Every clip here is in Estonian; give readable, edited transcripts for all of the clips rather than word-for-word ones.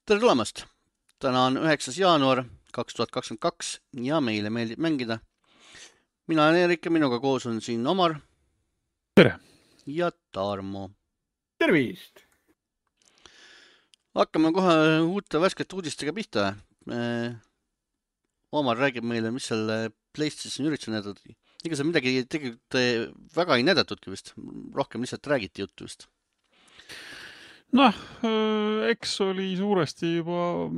Tere tulemast! Täna on 9. jaanuar 2022 ja meile meeldib mängida. Mina olen Erik ja minuga koos on siin Omar Tere! Ja Tarmo. Tervist! Hakkame kohe uute värskete uudistega pihta. Omar räägib meile, mis selle PlayStation ürituse näidati. Ega see midagi tegelikult väga ei näidatudki vist. Rohkem lihtsalt räägiti juttu vist. Noh, eks oli suuresti juba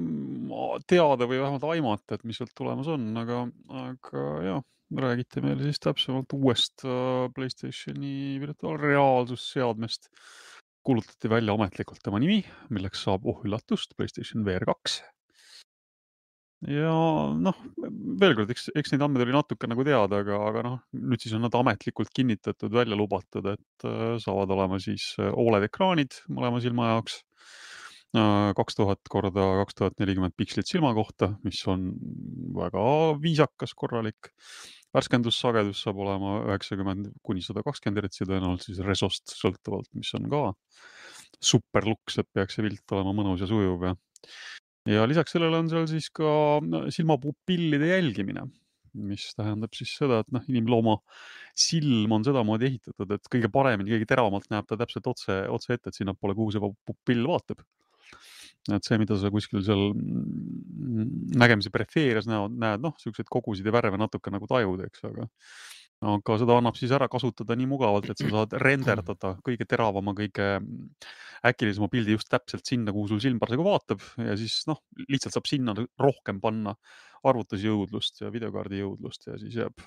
teada või vähemalt aimata, et mis sealt tulemas on, aga jah, räägiti meile siis täpsemalt uuest PlayStationi virtuaalreaalsusseadmest. Kuulutati välja ametlikult tema nimi, milleks saab üllatust PlayStation VR 2. Ja noh, veel kord, eks neid andmed oli natuke nagu teada, aga noh, nüüd siis on nad ametlikult kinnitatud, välja lubatud, et saavad olema siis OLED ekraanid mõlema silma jaoks, 2000 korda 2040 pikslit silma kohta, mis on väga viisakas, korralik. Värskendussagedus saab olema 90 kuni 120 Hz tõenäoliselt siis resost sõltuvalt, mis on ka superluks, et peaks see pilt olema mõnus ja sujuv ja lisaks sellele on seal siis ka silmapupillide jälgimine, mis tähendab siis seda, et inimlooma silm on sedamoodi ehitatud, et kõige paremini, kõige teravamalt näeb ta täpselt otse ette, et sinnapoole, kuhu see pupill vaatab. Et see, mida sa kuskil seal nägemise perifeerias näed, sellised kogusid ja värve natuke nagu tajud, eks, aga seda annab siis ära kasutada nii mugavalt, et sa saad renderdada kõige teravama, kõige äkilisema pildi just täpselt sinna, kuhu sul silm parasjagu vaatab ja siis lihtsalt saab sinna rohkem panna arvutusjõudlust ja videokaardi jõudlust ja siis jääb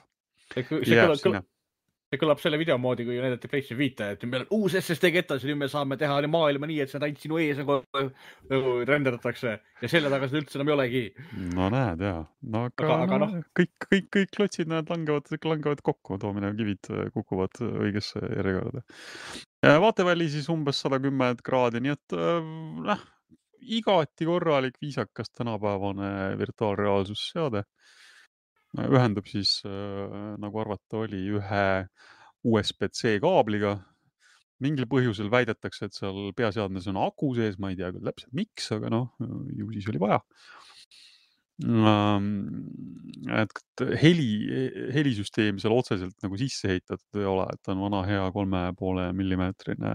sinna. See kõlab selle video moodi, kui näidati PlayStation 5, et meil on uus SSD ketas ja nüüd me saame teha maailma nii, et see ainult sinu ees nagu renderdatakse ja selle taga seda üldse enam ei olegi. No näed, jaa. Aga kõik klotsid langevad kokku, toomine kivid kukuvad õigesse järjekorda. Vaateväli siis umbes 110 kraadi, nii et igati korralik, viisakas tänapäevane virtuaalreaalsusseade. Ühendub siis, nagu arvata oli, ühe USB-C kaabliga. Mingil põhjusel väidetakse, et seal peaseadmes on aku sees, ma ei tea küll täpselt miks, aga ju siis oli vaja. Et helisüsteemi seal otseselt nagu sisse heitatud ei ole, et ta on vana hea 3,5 millimeetrine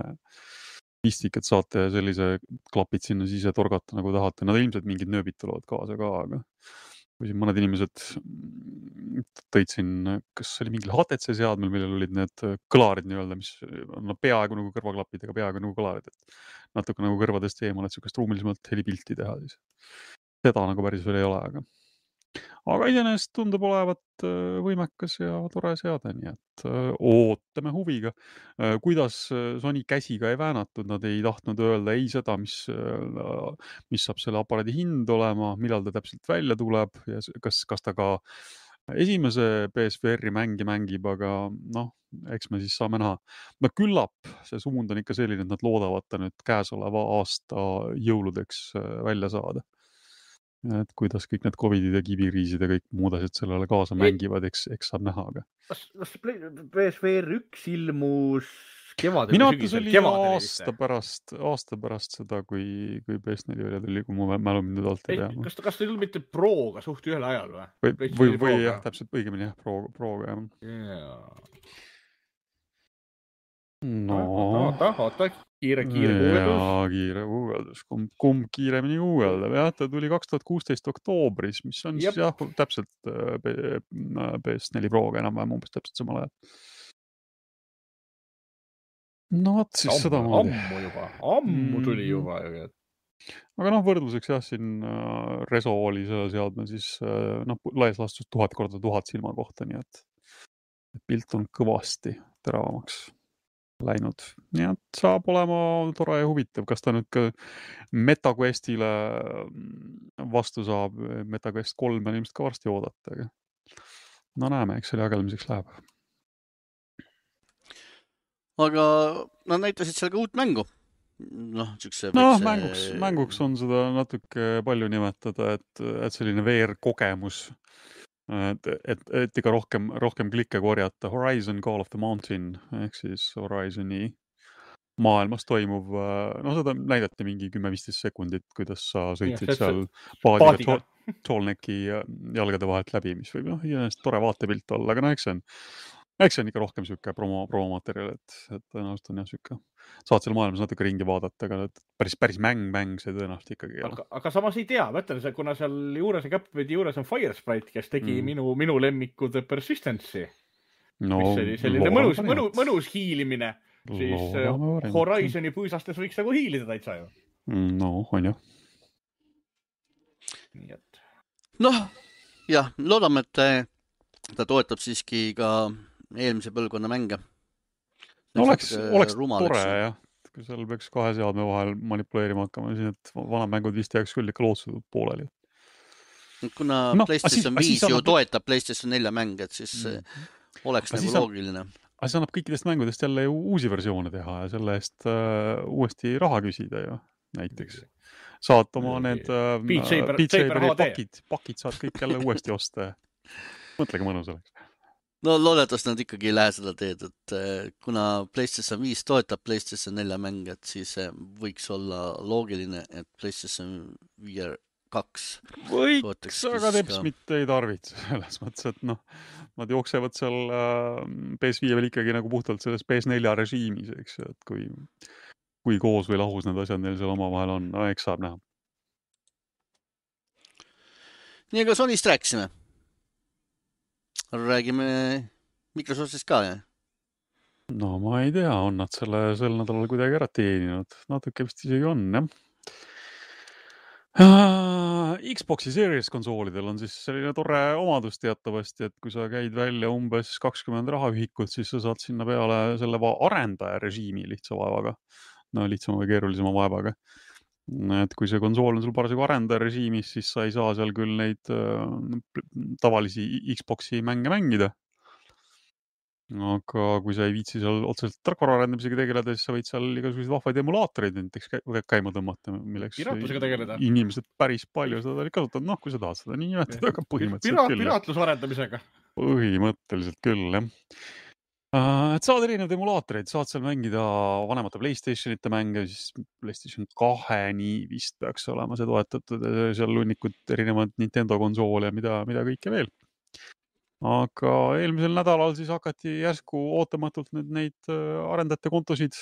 pistik, et saate sellise klapid sinna sisse torgata nagu tahate. Nad ilmselt mingid nööbid tulevad kaasa ka, aga kui siin mõned inimesed tõid siin, kas oli mingil HTC seadmel, millel olid need kõlarid nii-öelda, mis on peaaegu nagu kõrvaklapid, aga peaaegu nagu kõlarid, et natuke nagu kõrvadest eemal, et sellist ruumilisemalt helipilti teha siis. Seda nagu päris veel ei ole, aga iseenesest tundub olevat võimekas ja tore seade, nii et ootame huviga. Kuidas Sony käsiga ei väänatud, nad ei tahtnud öelda ei seda, mis saab selle aparaadi hind olema, millal ta täpselt välja tuleb ja kas ta ka esimese PSVR-i mängib, aga eks me siis saame näha. Küllap see suund on ikka selline, et nad loodavad ta nüüd käesoleva aasta jõuludeks välja saada. Et kuidas kõik need COVIDid ja kibiriisid ja kõik muud asjad sellele kaasa mängivad, eks saab näha. Aga. Kas PSVR 1 ilmus kevadel? Minu arvates oli aasta pärast seda, kui PS4 välja tuli, kui mu mälu mind nüüd alt ei tea. Kas ta ei tulnud mitte Proga suht ühel ajal või? Või jah, täpselt õigemini jah, Proga jah. Oota, kiire guugeldus. Jaa, kiire guugeldus. Kumb kiiremini guugeldab? Jah, ta tuli 2016 oktoobris, mis on siis jah, täpselt PS4 Proga enam-vähem umbes täpselt samal ajal. Siis seda moodi. Ammu tuli juba. Aga võrdluseks jah, siin Reso oli selle seadme siis laias laastus 1000 korda 1000 silma kohta, nii et pilt on kõvasti teravamaks läinud. Nii et saab olema tore ja huvitav. Kas ta nüüd ka MetaQuestile vastu saab? MetaQuest 3 on ilmselt ka varsti oodata. Aga näeme, eks selle jagelmiseks läheb. Aga nad näitasid seal ka uut mängu. Mänguks on seda natuke palju nimetada, et selline VR-kogemus. Et ikka rohkem klikke korjata. Horizon Call of the Mountain ehk siis Horizoni maailmas toimuv, no seda näidati mingi 10-15 sekundit, kuidas sa sõitsid see- seal paadiga. Tallnecki jalgade vahelt läbi, mis võib tore vaatepilt olla, aga eks see on ikka rohkem siuke promomaterjal, et tõenäoliselt on jah siuke, saad seal maailmas natuke ringi vaadata, aga päris mäng see tõenäoliselt ikkagi ei ole. Aga samas ei tea, mõtlen, kuna seal juures ja Capcom'i juures on Firesprite, kes tegi minu lemmiku The Persistency. No, mis oli selline mõnus hiilimine, siis Horizoni puisastes võiks nagu hiilida täitsa ju. No, on jah. Noh, jah, loodame, et ta toetab siiski ka eelmise põlvkonna mänge. No, oleks tore jah, kui seal peaks kahe seadme vahel manipuleerima hakkama, siis et vanad mängud vist jääks küll ikka lootsutud pooleli. Kuna PlayStation 5 ju toetab PlayStation 4 mänge, et siis oleks nagu loogiline. Aga see annab kõikidest mängudest jälle ju uusi versioone teha ja selle eest uuesti raha küsida ju näiteks. Saad oma need Beat Saberi pakid saad kõik jälle uuesti osta. Mõtlege mõnus oleks. No loodetavasti nad ikkagi ei lähe seda teed, et kuna PlayStation 5 toetab PlayStation 4 mänge, et siis võiks olla loogiline, et PlayStation 5 2 võiks, aga teps mitte ei tarvitse selles mõttes, et nad jooksevad seal PS5 veel ikkagi nagu puhtalt selles PS4 režiimis, eks, et kui koos või lahus need asjad neil seal omavahel on, eks saab näha. Nii, aga Sonyst rääkisime. Räägime Microsoftist ka, jah? No ma ei tea, on nad sel nädalal kuidagi ära teeninud. Natuke vist isegi on, jah. Xboxi Series konsoolidel on siis selline tore omadus teatavasti, et kui sa käid välja umbes 20 rahaühikut, siis sa saad sinna peale selle arendaja režiimi lihtsa vaevaga. No lihtsama või keerulisema vaevaga. Et kui see konsool on sul parasjagu arendaja režiimis, siis sa ei saa seal küll neid tavalisi Xboxi mänge mängida. Aga kui sa ei viitsi seal otseselt tarkvara arendamisega tegeleda, siis sa võid seal igasuguseid vahvaid emulaatoreid näiteks käima tõmmata, milleks inimesed päris palju seda kasutavad. Noh, kui sa tahad seda nii nimetada, aga põhimõtteliselt küll. Piraatluse arendamisega. Põhimõtteliselt küll, jah. Et saad erinevaid emulaatoreid, saad seal mängida vanemate PlayStationite mänge, siis PlayStation 2-ni vist peaks olema see toetatud, seal lunnikud erinevad Nintendo konsoole ja mida kõike veel. Aga eelmisel nädalal siis hakati järsku ootamatult neid arendajate kontosid,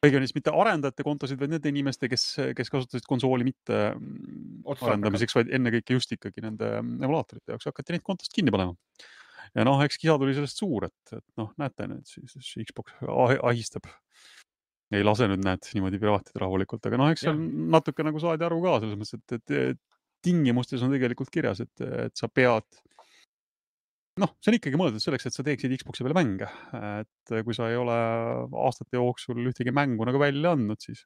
õigemini mitte arendajate kontosid, vaid nende inimeste, kes kasutasid konsooli mitte arendamiseks, vaid ennekõike just ikkagi nende emulaatorite jaoks hakati neid kontost kinni panema. Ja eks kisa tuli sellest suur, et näete nüüd, siis Xbox ahistab. Ei lase nüüd niimoodi piraatid rahulikult, aga eks seal natuke nagu saadi aru ka selles mõttes, et tingimustes on tegelikult kirjas, et sa pead see on ikkagi mõeldud selleks, et sa teeksid Xboxi peale mänge. Et kui sa ei ole aastate jooksul ühtegi mängu nagu välja andnud, siis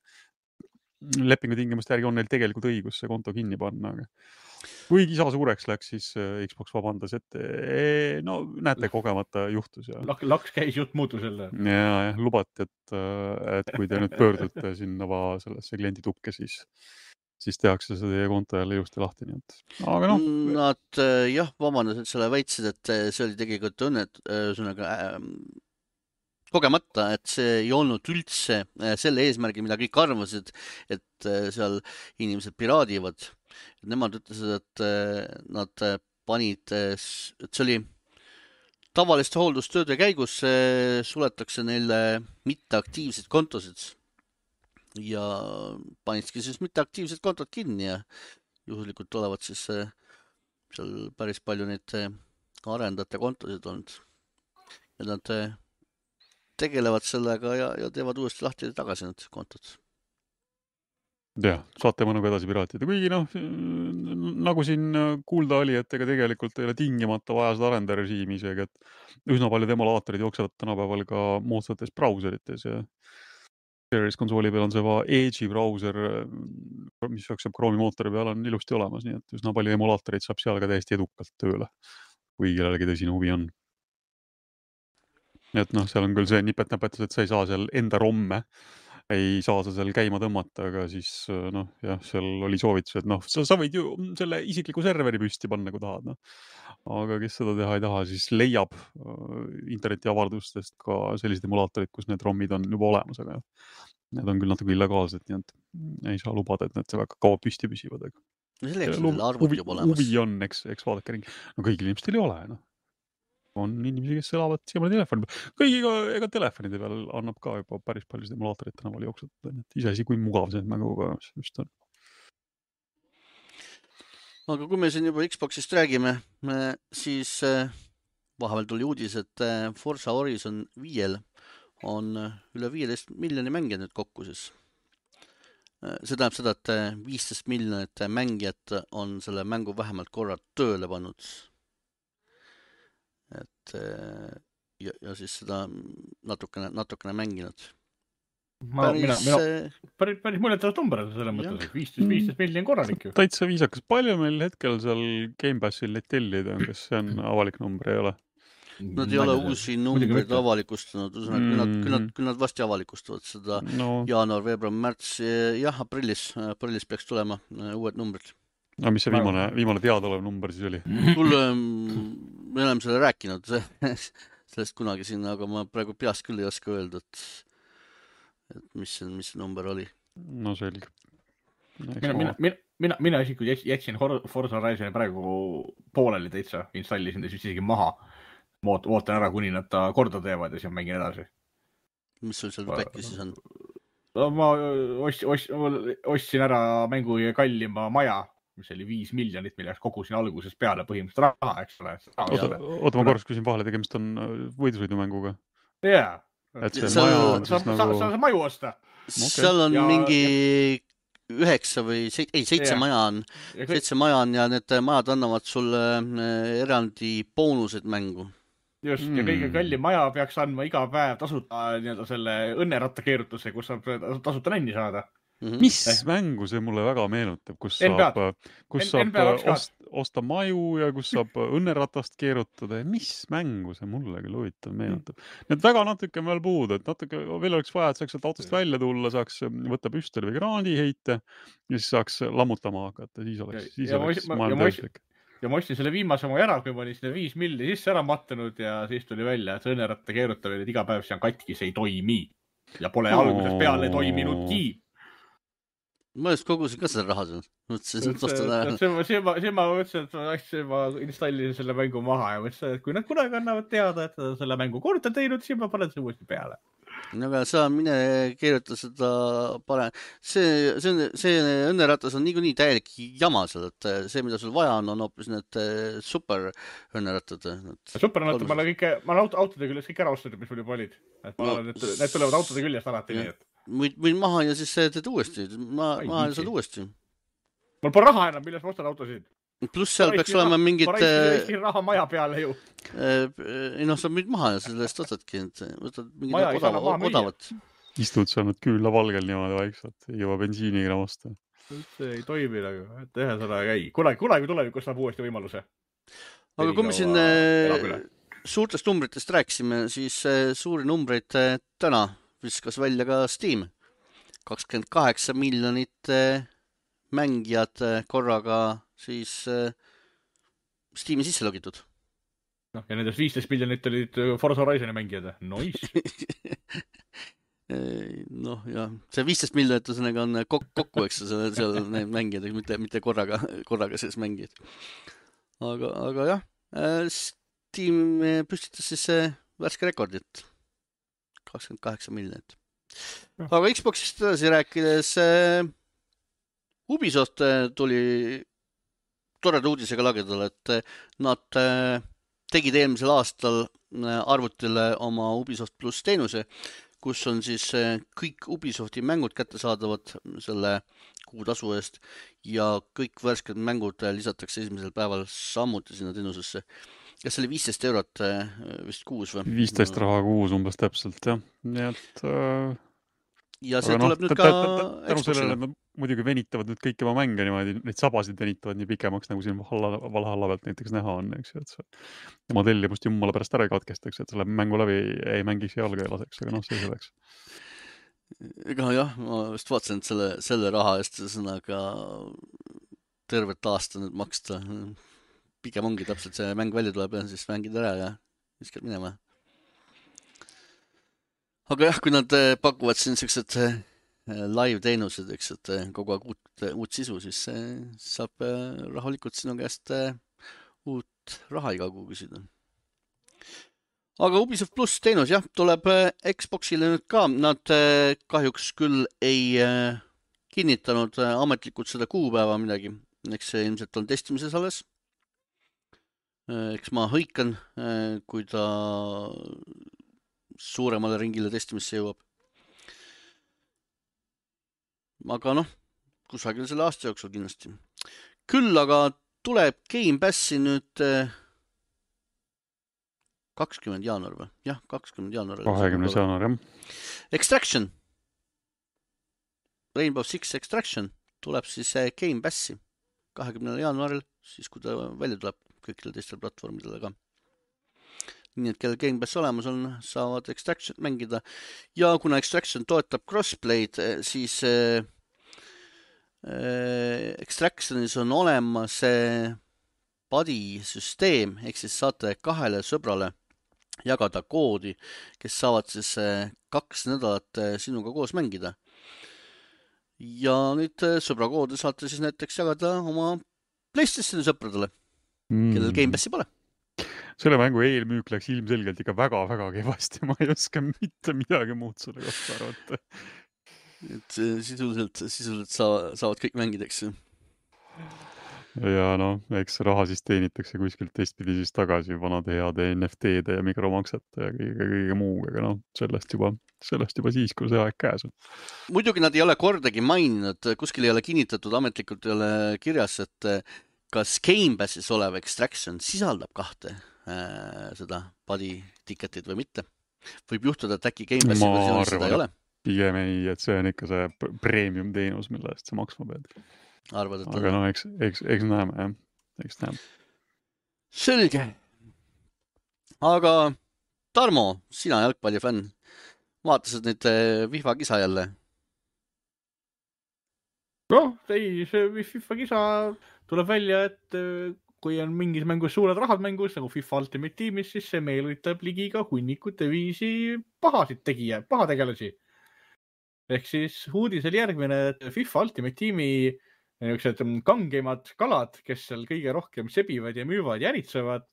lepingu tingimuste järgi on neil tegelikult õigus see konto kinni panna. Kui kisa suureks läks, siis Xbox vabandas, et näete, kogemata juhtus. Laks käis jutt muutus jälle. Ja lubati, et kui te nüüd pöördute sinna sellesse klienditukke, siis tehakse see teie konto jälle ilusti lahti. Aga Nad vabandasid selle väitsid, et see oli tegelikult kogemata, et see ei olnud üldse selle eesmärgi, mida kõik arvasid, et seal inimesed piraadivad. Nemad ütlesid, et nad panid, et see oli tavaliste hooldustööde käigus, suletakse neile mitteaktiivseid kontosid. Ja panidki siis mitteaktiivsed kontod kinni ja juhuslikult olevat siis seal päris palju neid arendajate kontosid olnud. Ja nad tegelevad sellega ja teevad uuesti lahti tagasi need kontod. Jah, saate mõnuga edasi piraatida. Kuigi nagu siin kuulda oli, et ega tegelikult ei ole tingimata vaja seda arendaja režiimi isegi, et üsna paljud emulaatorid jooksevad tänapäeval ka moodsates brauserites ja Series konsooli peal on see Edge'i brauser, mis jookseb Chrome'i mootori peal, on ilusti olemas, nii et üsna palju emulaatoreid saab seal ka täiesti edukalt tööle, kui kellelegi tõsine huvi on. Et seal on küll see nipet-näpetus, et sa ei saa seal enda romme, ei saa sa seal käima tõmmata, aga siis seal oli soovitus, et sa võid ju selle isikliku serveri püsti panna, kui tahad. aga kes seda teha ei taha, siis leiab internetiavardustest ka sellised emulaatorid, kus need ROM-id on juba olemas, aga need on küll natuke illegaalsed, nii et ei saa lubada, et need väga kaua püsti püsivad. No selleks on selle arvuti juba olemas. Huvi on, eks vaadake ringi. No kõigil inimestel ei ole, noh. On inimesi, kes elavad siiamaani telefoni peal. Kõigiga, ega telefonide peal annab ka juba päris palju emulaatorit tänaval jooksutada, nii et iseasi, kui mugav see mänguga just on. Aga kui me siin juba Xboxist räägime, siis vahepeal tuli uudis, et Forza Horizon 5 on üle 15 miljoni mängija nüüd kokku siis. See tähendab seda, et 15 miljonit mängijat on selle mängu vähemalt korra tööle pannud. Et ja siis seda natukene mänginud. Päris mõnetavat number selles mõttes, 15 miljoni korralik ju. Täitsa viisakas. Palju meil hetkel seal Game Passil neid tellida on, kas see on avalik number, ei ole? Nad ei ole uusi numbreid avalikustanud, küll nad vasti avalikustavad seda jaanuar, veebruar, märts, jah, aprillis peaks tulema uued numbrid. No mis see viimane teadaolev number siis oli? Me oleme selle rääkinud sellest kunagi siin, aga ma praegu peast küll ei oska öelda, et mis see number oli. No selge. Mina isiklikult jätsin Forza Horizoni praegu pooleli täitsa, installisin ta isegi maha. Ootan ära, kuni nad ta korda teevad ja siis mängin edasi. Mis sul seal päkki siis on? Ma ostsin ära mängu kallima maja, mis oli 5 miljonit, milleks kogusin alguses peale põhimõtteliselt raha, eks ole. Oota, ma korraks küsin vahele, tegemist on võidusõidumänguga. Jaa. Saab maju osta. Seal on mingi 7 maja on. 7 maja on ja need majad annavad sulle erandi boonused mängu. Just, ja kõige kallim maja peaks andma iga päev tasuta selle õnnerattakeerutuse, kus saab tasuta nänni saada. Mis mängu see mulle väga meenutab, kus saab osta maju ja kus saab õnneratast keerutada ja mis mängu see mulle küll huvitav meenutab. Need väga natuke on veel puudu, et natuke veel oleks vaja, et saaks sealt autost välja tulla, saaks võtta püstoli või kraadi heite ja siis saaks lammutama hakata, siis oleks maailm täislik. Ja ma ostsin selle viimase oma ära, kui ma olin sinna 5 milli sisse ära mattunud ja siis tuli välja, et see õnneratta keerutamine, et iga päev see on katki, see ei toimi. Ja pole alguses peale toiminudki. Ma just kogusin ka seda raha seal. See ma mõtlesin, et ma installisin selle mängu maha ja mõtlesin, et kui nad kunagi annavad teada, et selle mängu korda teinud, siis ma panen see uuesti peale. No aga sa mine keeruta seda see õnneratas on niikuinii täielik jama seal, et see, mida sul vaja on hoopis need super õnnerattad. Super õnnerattad, ma olen autode küljest kõik ära ostnud, mis mul juba olid. Need tulevad autode küljest alati nii, et võin maha ja siis teed uuesti. Maha ja saad uuesti. Mul pole raha enam, milles ma ostan autosid. Pluss seal peaks olema mingid... Paraiski raha maja peale ju. Ei sa müüd maha ja sellest ostadki. Võtad mingid odavat. Istud seal nüüd küülla valgel niimoodi vaikselt. Ei jõua bensiiniga osta. See ei toimi nagu. Tehe seda käi. Kunagi tulevikus saab uuesti võimaluse. Aga kui me siin suurtest numbritest rääkisime, siis suuri numbreid täna viskas välja ka Steam. 28 miljonit mängijad korraga siis Steam'i sisse logitud. Ja nendest 15 miljonit olid Forza Horizoni mängijad. Nice. Ja see 15 miljonit on kokku, eks seal need mängijad, mitte korraga sees mängijad. Aga jah, Steam püstitas siis värske rekordit. 28 miljonit. Aga Xboxist edasi rääkides Ubisoft tuli toreda uudisega lagedale, et nad tegid eelmisel aastal arvutile oma Ubisoft Plus teenuse, kus on siis kõik Ubisofti mängud kättesaadavad selle kuutasu eest ja kõik värsked mängud lisatakse esimesel päeval samuti sinna teenusesse. Kas see oli 15 eurot vist kuus või? 15 raha kuus umbes täpselt, jah. Nii et... Ja see tuleb nüüd ka Xboxile. Muidugi venitavad nüüd kõik oma mänge niimoodi, neid sabasid venitavad nii pikemaks, nagu siin Valhalla pealt näiteks näha on, eks ju, et see oma tellimust jummala pärast ära ei katkestaks, et selle mängu läbi ei mängiks jalga ja laseks, aga see selleks. Ega jah, ma just vaatasin, et selle raha eest sõnaga tervet aasta nüüd maksta pigem ongi täpselt see mäng välja tuleb ja siis mängid ära ja viskad minema. Aga jah, kui nad pakuvad siin sellised live teenused, eks, et kogu aeg uut sisu, siis saab rahulikult sinu käest uut raha iga kuu küsida. Aga Ubisoft Plus teenus, jah, tuleb Xboxile nüüd ka. Nad kahjuks küll ei kinnitanud ametlikult seda kuupäeva midagi. Eks see ilmselt on testimises alles. Eks ma hõikan, kui ta suuremale ringile testimisse jõuab. Aga noh, kusagil selle aasta jooksul kindlasti. Küll aga tuleb Game Passi nüüd 20. jaanuar või? Jah, 20. jaanuar. 20. jaanuar, jah. Extraction. Rainbow Six Extraction tuleb siis Game Passi 20. jaanuaril, siis kui ta välja tuleb kõikidel teistel platvormidele ka. Nii et kellel Game Pass olemas on, saavad Extraction mängida. Ja kuna Extraction toetab crossplay'd, siis Extractionis on olemas buddy süsteem, ehk siis saate 2 sõbrale jagada koodi, kes saavad siis 2 nädalat sinuga koos mängida. Ja nüüd sõbrakoodi saate siis näiteks jagada oma PlayStationi sõpradele, kellel Game Passi pole. Selle mängu eelmüük läks ilmselgelt ikka väga-väga kehvasti. Ma ei oska mitte midagi muud selle kohta arvata. Et sisuliselt saavad kõik mängida, eks. Ja noh, eks raha siis teenitakse kuskilt teistpidi siis tagasi vanade heade NFT-de ja mikromaksete ja kõige muuga, aga noh, sellest juba siis, kui see aeg käes on. Muidugi nad ei ole kordagi maininud, kuskil ei ole kinnitatud, ametlikult ei ole kirjas, et kas Game Passis olev Extraction sisaldab 2 seda buddy ticketit või mitte. Võib juhtuda, et äkki Game Passi versioonis seda ei ole. Pigem ei, et see on ikka see premium teenus, mille eest sa maksma pead. Arvad, et aga noh, eks näeme, jah. Eks näeme. Selge. Aga Tarmo, sina jalgpallifänn, vaatasid nüüd FIFA kisa jälle? Noh, ei, see FIFA kisa tuleb välja, et kui on mingis mängus suured rahad mängus, nagu FIFA Ultimate Teamis, siis see meelitab ligi ka hunnikute viisi pahategelasi. Ehk siis uudis oli järgmine, et FIFA Ultimate Teami kangeimad kalad, kes seal kõige rohkem sebivad ja müüvad ja äritsevad,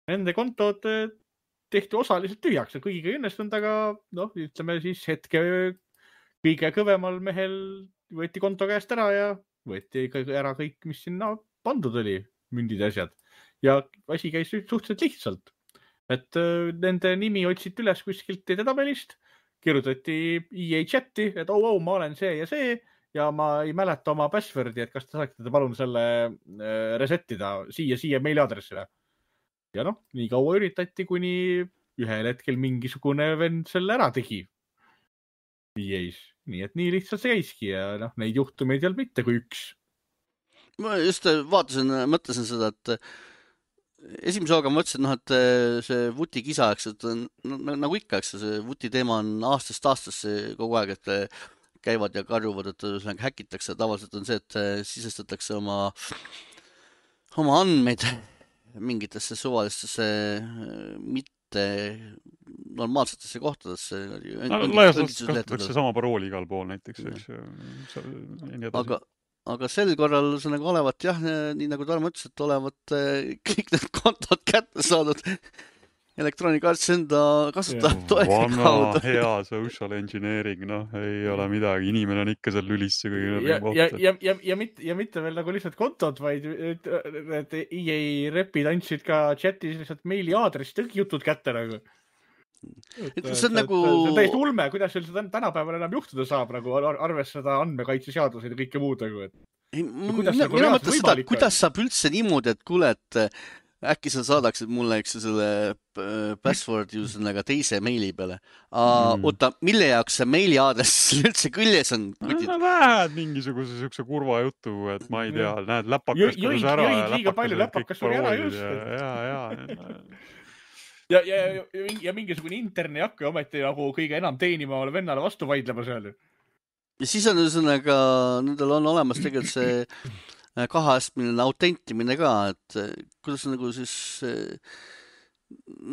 nende kontod tehti osaliselt tühjaks ja kõigiga õnnestunud, aga noh, ütleme siis hetke kõige kõvemal mehel võeti konto käest ära ja võeti ära kõik, mis sinna pandud oli, mündid ja asjad. Ja asi käis suhteliselt lihtsalt. Et nende nimi otsiti üles kuskilt edetabelist, kirjutati EA chati, et ma olen see ja ma ei mäleta oma passwordi, et kas te saaksite palun selle resetida siia meiliadressile. Ja noh, nii kaua üritati, kuni ühel hetkel mingisugune vend selle ära tegi. EA-s. Nii et nii lihtsalt see käiski ja noh, neid juhtumeid ei olnud mitte kui üks. Ma just mõtlesin seda, et esimese hooga mõtlesin, et see vuti kisa, et nagu ikka, see vuti teema on aastast aastasse kogu aeg, et käivad ja karjuvad, et häkitakse. Tavaliselt on see, et sisestatakse oma andmeid mingitesse suvalistesse mitte normaalsetesse kohtadesse. Laias kasutatakse sama parooli igal pool näiteks. Aga sel korral see nagu olevat, jah, nii nagu Tarmo ütles, et olevat kõik need kontod kätte saadud Electronic Arts enda kasutajad toega kaudu. Vana hea social engineering, noh, ei ole midagi. Inimene on ikka seal lülisse ja mitte veel nagu lihtsalt kontod, vaid need EA repid andsid ka chatis lihtsalt meiliaadress, kõik jutud kätte nagu. See on nagu... See on täiesti ulme, kuidas see tänapäeval enam juhtuda saab, nagu arvestada andmekaitseseadused ja kõike muud. Mina mõtlen seda, kuidas saab üldse niimoodi, et kuule, et äkki sa saadaksid mulle selle password usernega teise meili peale. Oota, mille jaoks see meiliaadress üldse küljes on? Lähed mingisuguse siukse kurva jutu, et ma ei tea, näed läpakas kodus ära. Jõid liiga palju läpakas oli ära just. Ja mingisugune interne jakka ometi nagu kõige enam teenima ole vennale vastu vaidlema seal. Ja siis on ühesõnaga, nendel on olemas tegelikult see kaheastmeline autentimine ka, et kuidas nagu siis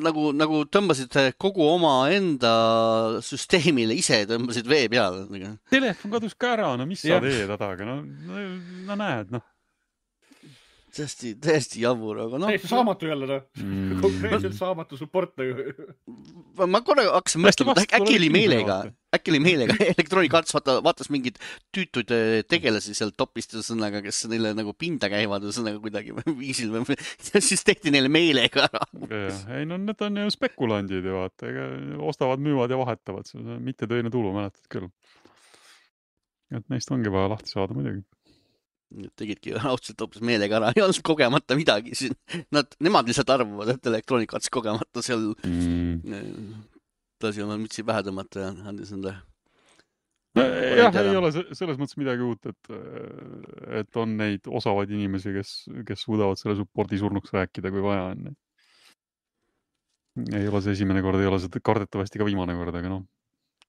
nagu tõmbasid kogu oma enda süsteemile ise tõmbasid vee peale. Telefon kadus ka ära, no mis sa teed hädaga, no näed, noh. Täiesti jabur, aga noh. Täiesti saamatu jälle, noh. Konkreetselt saamatu support. Ma korra hakkasin mõtlema, et äkki oli meelega. Electronic Arts vaatas mingid tüütud tegelasi seal topist sõnaga, kes neile nagu pinda käivad sõnaga kuidagi viisil või siis tehti neile meelega ära. Ei, no need on ju spekulandid ju, vaata. Ostavad, müüvad ja vahetavad. See on mitte töine tulu, mäletad küll. Et neist ongi vaja lahti saada muidugi. Tegidki raudselt hoopis meelega ära, ei olnud kogemata midagi siin. Nemad lihtsalt arvavad, et Electronic Arts kogemata seal tasi oma mütsi pähe tõmmata ja andis enda. Jah, ei ole selles mõttes midagi uut, et on neid osavaid inimesi, kes suudavad selle supporti surnuks rääkida, kui vaja on. Ei ole see esimene kord, ei ole see kardetavasti ka viimane kord, aga noh.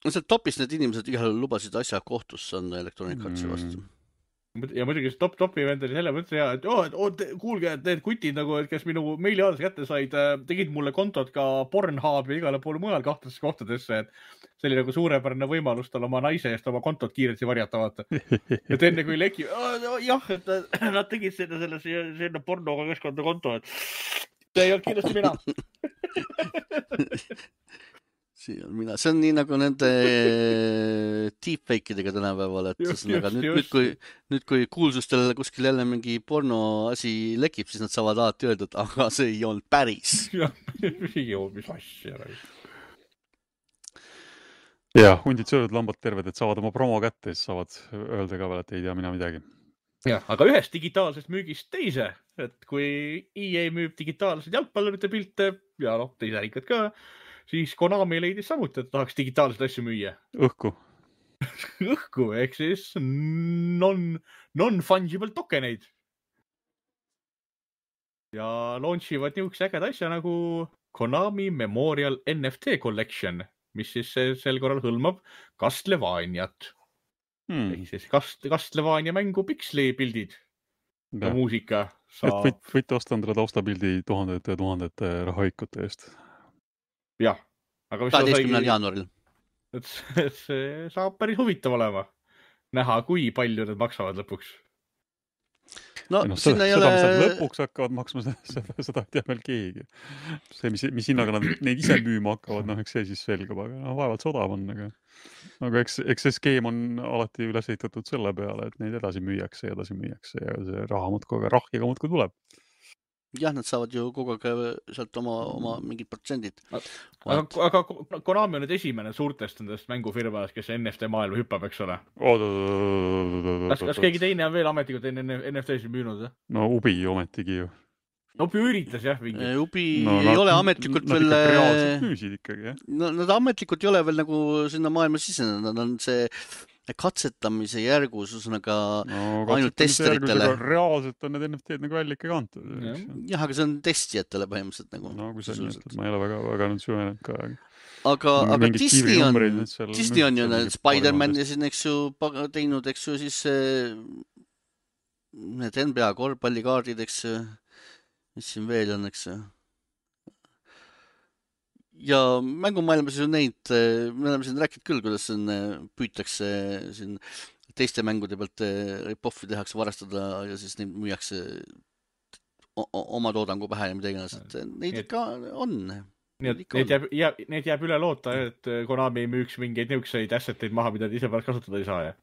No seal topis need inimesed igal lubasid asja kohtusse anda Electronic Artsi vastu. Ja muidugi see topi vend oli selle mõttes hea, et kuulge, et need kutid, nagu, et kes minu meiliaadress kätte said, tegid mulle kontot ka Pornhub ja igale poole mujal kahtlases kohtadesse, et see oli nagu suurepärane võimalus tal oma naise eest oma kontot kiiresti varjata, vaata. Et enne kui leki, jah, et nad tegid sinna pornoga keskkonda konto, et see ei olnud kindlasti mina. See on nii nagu nende deepfake'idega tänapäeval, et nüüd kui kuulsustel kuskil jälle mingi porno asi lekib, siis nad saavad alati öelda, et aga see ei olnud päris. Mis asja. Jah, hundid söövad, lambad terved, et saavad oma promo kätte, siis saavad öelda ka veel, et ei tea mina midagi. Jah, aga ühest digitaalsest müügist teise, et kui EA müüb digitaalsed jalgpallurite pilte ja teise ärikad ka, siis Konami leidis samuti, et tahaks digitaalseid asju müüa. Õhku, ehk siis non-fungible tokeneid. Ja launchivad niisuguse ägeda asja nagu Konami Memorial NFT Collection, mis siis sel korral hõlmab Castlevaniat. Ehk siis Castlevania mängu pikslipildid ja muusika. Võite osta endale taustapildi tuhandete rahaikute eest. Jah, aga 12. jaanuaril. See saab päris huvitav olema. Näha, kui palju need maksavad lõpuks. No, sinna ei ole... Lõpuks hakkavad maksma, seda ei tea veel keegi. See, mis hinnaga nad neid ise müüma hakkavad, eks see siis selgub, aga vaevalt see odav on. Aga eks see skeem on alati üles ehitatud selle peale, et neid edasi müüakse ja see raha rahjaga muudkui tuleb. Jah, nad saavad ju kogu aeg sealt oma mingid protsendid. Aga Konami on nüüd esimene suurtest nendest mängufirmadest, kes NFT maailma hüppab, eks ole? Kas keegi teine on veel ametlikult NFT-sid müünud? No Ubi ometigi ju. Ubi üritas, jah. Ubi ei ole ametlikult veel... Nad reaalselt müüsid ikkagi, jah? Nad ametlikult ei ole veel nagu sinna maailma sisenenud. Nad on see... katsetamise järgus, usnaga ainult testeritele. Reaalselt on need NFT-d nagu välja ikka kantud. Jah, aga see on testijatele põhimõtteliselt nagu. No, kui see on, ma ei ole väga nüüd süvenenud ka. Aga Disney on ju need Spider-Man ja siin, eks ju, teinud, eks ju, siis need NBA korvpallikaardid, eks ju, mis siin veel on, eks ju. Ja mängumaailmas ju neid, me oleme siin rääkinud küll, kuidas püütakse siin teiste mängude pealt rip-offi tehakse varastada ja siis neid müüakse oma toodangu pähe ja mida iganes, et neid ikka on. Need jääb üle loota, et Konami müüks mingeid niukseid asseteid maha, mida ise pärast kasutada ei saa, jah?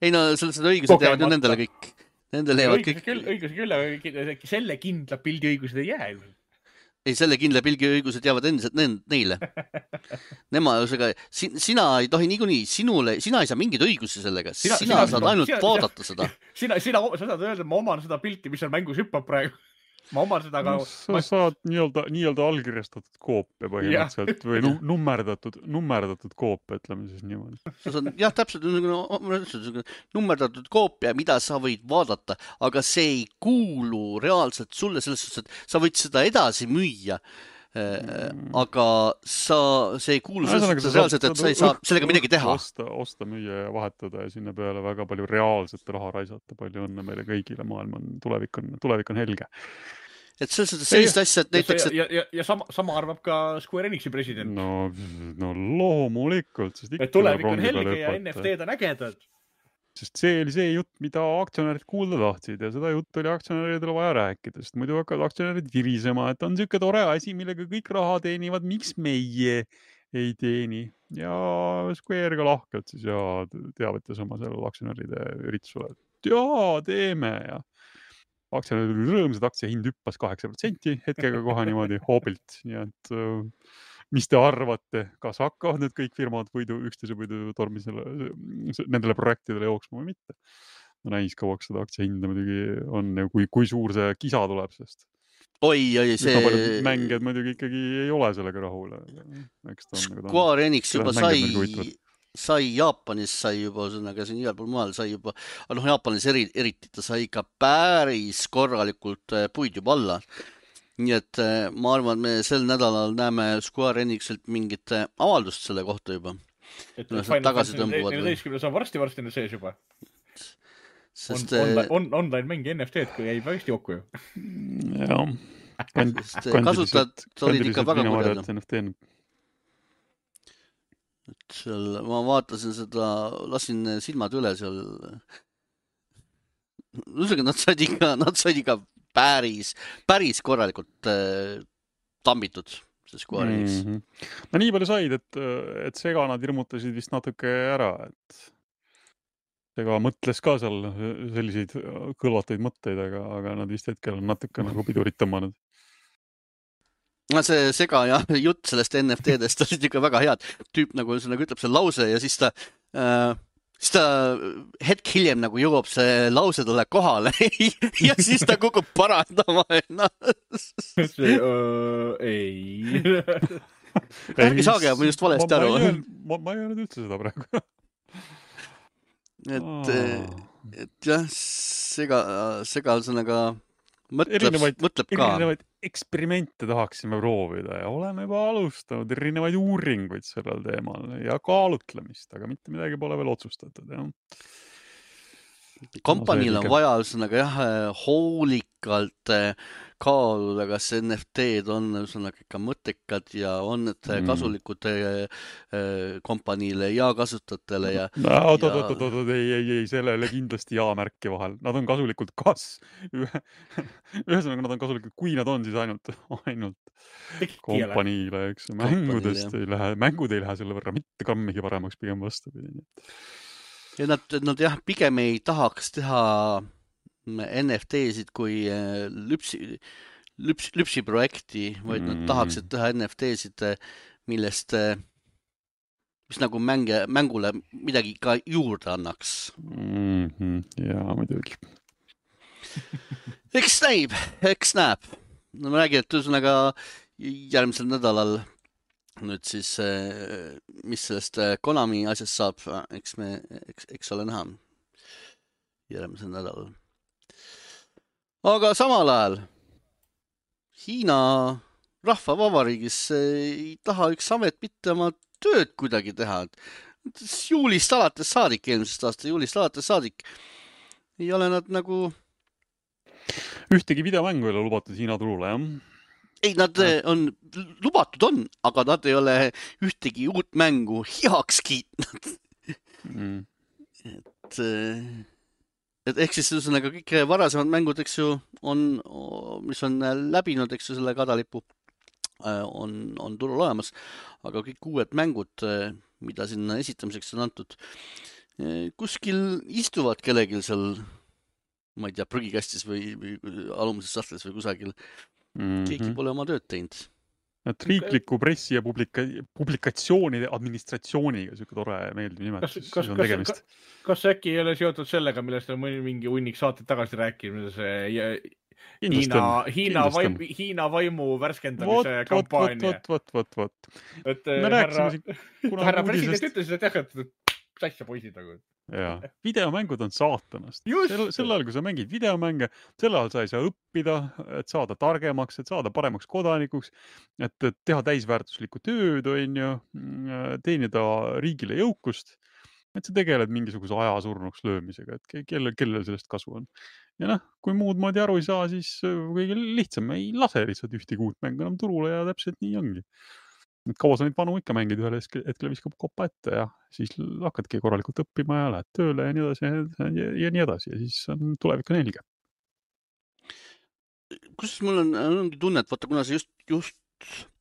Ei no, seda õigused jäävad ju nendele kõik. Nendele jäävad kõik. Õigused küll, aga selle kindla pildi õigused ei jää. Ei, selle kindla pilgi õigused jäävad endiselt neile. Sina ei tohi niikuinii, sina ei saa mingeid õigusi sellega. Sina saad ainult vaadata seda. Sina saad öelda, et ma oman seda pilti, mis seal mängus hüppab praegu. Ma oman seda ka... Sa saad nii-öelda allkirjastatud koopia põhimõtteliselt või nummerdatud koopia, ütleme siis niimoodi. Jah, täpselt, nummerdatud koopia, mida sa võid vaadata, aga see ei kuulu reaalselt sulle selles suhtes, et sa võid seda edasi müüa aga see ei kuulu reaalselt, et sa ei saa sellega midagi teha. Osta, müüa ja vahetada ja sinna peale väga palju reaalset raha raisata. Palju õnne meile kõigile, maailm on, tulevik on helge. Et sellist asja, et näiteks... Ja sama arvab ka Square Enixi president. No loomulikult. Et tulevik on helge ja NFT-d on ägedad. Sest see oli see jutt, mida aktsionärid kuulda tahtsid ja seda jutt oli aktsionäridele vaja rääkida, sest muidu hakkavad aktsionärid virisema, et on siuke tore asi, millega kõik raha teenivad, miks meie ei teeni. Ja Square ka lahkelt siis ja teavitas oma sellel aktsionäride üritusele, et jaa, teeme ja aktsionärid oli rõõmsad, aktsia hind hüppas 8% hetkega kohe niimoodi hoobilt, nii et mis te arvate, kas hakkavad need kõik firmad üksteise võidu tormisele nendele projektidele jooksma või mitte? No näis kauaks seda aktsia hinda muidugi on, kui suur see kisa tuleb, sest see... mängijad muidugi ikkagi ei ole sellega rahul. Square Enix juba sai Jaapanis, sai juba, siin igal pool maal sai juba, Jaapanis eriti ta sai ikka päris korralikult puid juba alla. Nii et ma arvan, et me sel nädalal näeme Square Enixilt mingit avaldust selle kohta juba. Et tagasi tõmbuvad. 14 on varsti sees juba. Sest... Online mängi NFT-d, kui jäi väga jokku ju. Jah. Kasutajad olid ikka väga kurjad. Ma vaatasin seda, lasin silmad üle seal. Nad said ikka päris korralikult tambitud, see Square Enix. No nii palju said, et Sega nad hirmutasid vist natuke ära, et Sega mõtles ka seal selliseid kõlvataid mõtteid, aga nad vist hetkel on natuke nagu pidurit tõmmanud. See Sega ja jutt sellest NFT-dest olid ikka väga head. Tüüp nagu ütleb see lause ja siis ta hetk hiljem nagu jõuab see lause talle kohale ja siis ta kukub parandama ennast. Ei. Ärgi saage, ma just valesti aru. Ma ei öelnud üldse seda praegu. Et jah, Sega ühesõnaga mõtleb ka. Erinevaid eksperimente tahaksime proovida ja oleme juba alustanud erinevaid uuringuid sellel teemal ja kaalutlemist, aga mitte midagi pole veel otsustatud. Kompaniil on vaja ühesõnaga hoolikalt kaaluda, kas NFT-d on ühesõnaga ikka mõttekad ja on need kasulikud kompaniile ja kasutajatele ja... Ei, sellele kindlasti ja-märki vahel. Nad on kasulikud ühesõnaga nad on kasulikud, kui nad on siis ainult kompaniile, eks mängud ei lähe selle võrra mitte kammigi paremaks, pigem vastupidi. Ja nad jah, pigem ei tahaks teha NFT-sid kui lüpsi projekti, vaid nad tahaksid teha NFT-sid, millest mis nagu mängule midagi ka juurde annaks. Jaa, muidugi. Eks näeb. No ma räägin, et ühesõnaga järgmisel nädalal nüüd siis, mis sellest Konami asjast saab, eks ole näha järgmisel nädalal. Aga samal ajal Hiina rahvavabariigis ei taha üks amet mitte oma tööd kuidagi teha. Juulist alates saadik, eelmisest aasta juulist alates saadik ei ole nad nagu... Ühtegi videomängu ei ole lubatud Hiina turule, jah? Ei, nad lubatud, aga nad ei ole ühtegi uut mängu heaks kiitnud. Et ehk siis ühesõnaga kõik varasemad mängud, eks ju, mis on läbinud, eks ju, selle kadalipu, on turul olemas, aga kõik uued mängud, mida sinna esitamiseks on antud, kuskil istuvad kellelgi seal, ma ei tea, prügikastis või alumises sahtlis või kusagil. Keegi pole oma tööd teinud. Et riikliku pressi ja publikatsioonide administratsiooniga siuke tore meeldiv nimetus on tegemist. Kas äkki ei ole seotud sellega, millest on mingi hunnik saated tagasi rääkinud, see Hiina vaimu värskendamise kampaania? Vot. Härra president ütles, et jah, et asja poisid nagu. Ja videomängud on saatanast. Just! Sel ajal, kui sa mängid videomänge, sel ajal sa ei saa õppida, et saada targemaks, et saada paremaks kodanikuks, et teha täisväärtuslikku tööd, on ju, teenida riigile jõukust, et sa tegeled mingisuguse aja surnuks löömisega, et kellel sellest kasu on. Ja noh, kui muud moodi aru ei saa, siis kõige lihtsam ei lase lihtsalt ühtegi uut mängu enam turule ja täpselt nii ongi. Et kaua sa neid vanu ikka mängid, ühel hetkel viskab kopa ette ja siis hakkadki korralikult õppima ja lähed tööle ja nii edasi ja nii edasi ja siis on tulevik on helge. Kus mul ongi tunne, et vaata, kuna see just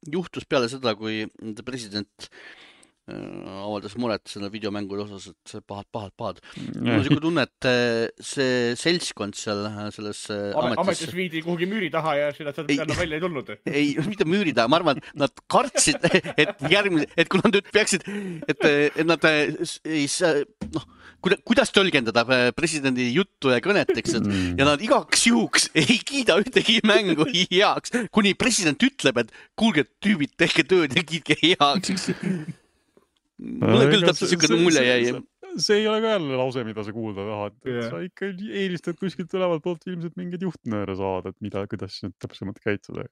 juhtus peale seda, kui president avaldas muret selle videomängude osas, et see pahad. Mul on siuke tunne, et see seltskond seal selles ametis viidi kuhugi müüri taha ja seda enam välja ei tulnud. Ei, mitte müüri taha. Ma arvan, et nad kartsid, et kui nad nüüd peaksid, et nad ei saa, kuidas tõlgendada presidendi juttu ja kõnet, eks, ja nad igaks juhuks ei kiida ühtegi mängu heaks, kuni president ütleb, et kuulge, tüübid, tehke tööd ja kiidke heaks. Mulle küll täpselt siuke mulje jäi. See ei ole ka jälle lause, mida sa kuulda tahad. Sa ikka eelistad kuskilt tulevalt poolt ilmselt mingeid juhtnööre saada, et kuidas nüüd täpsemalt käituda.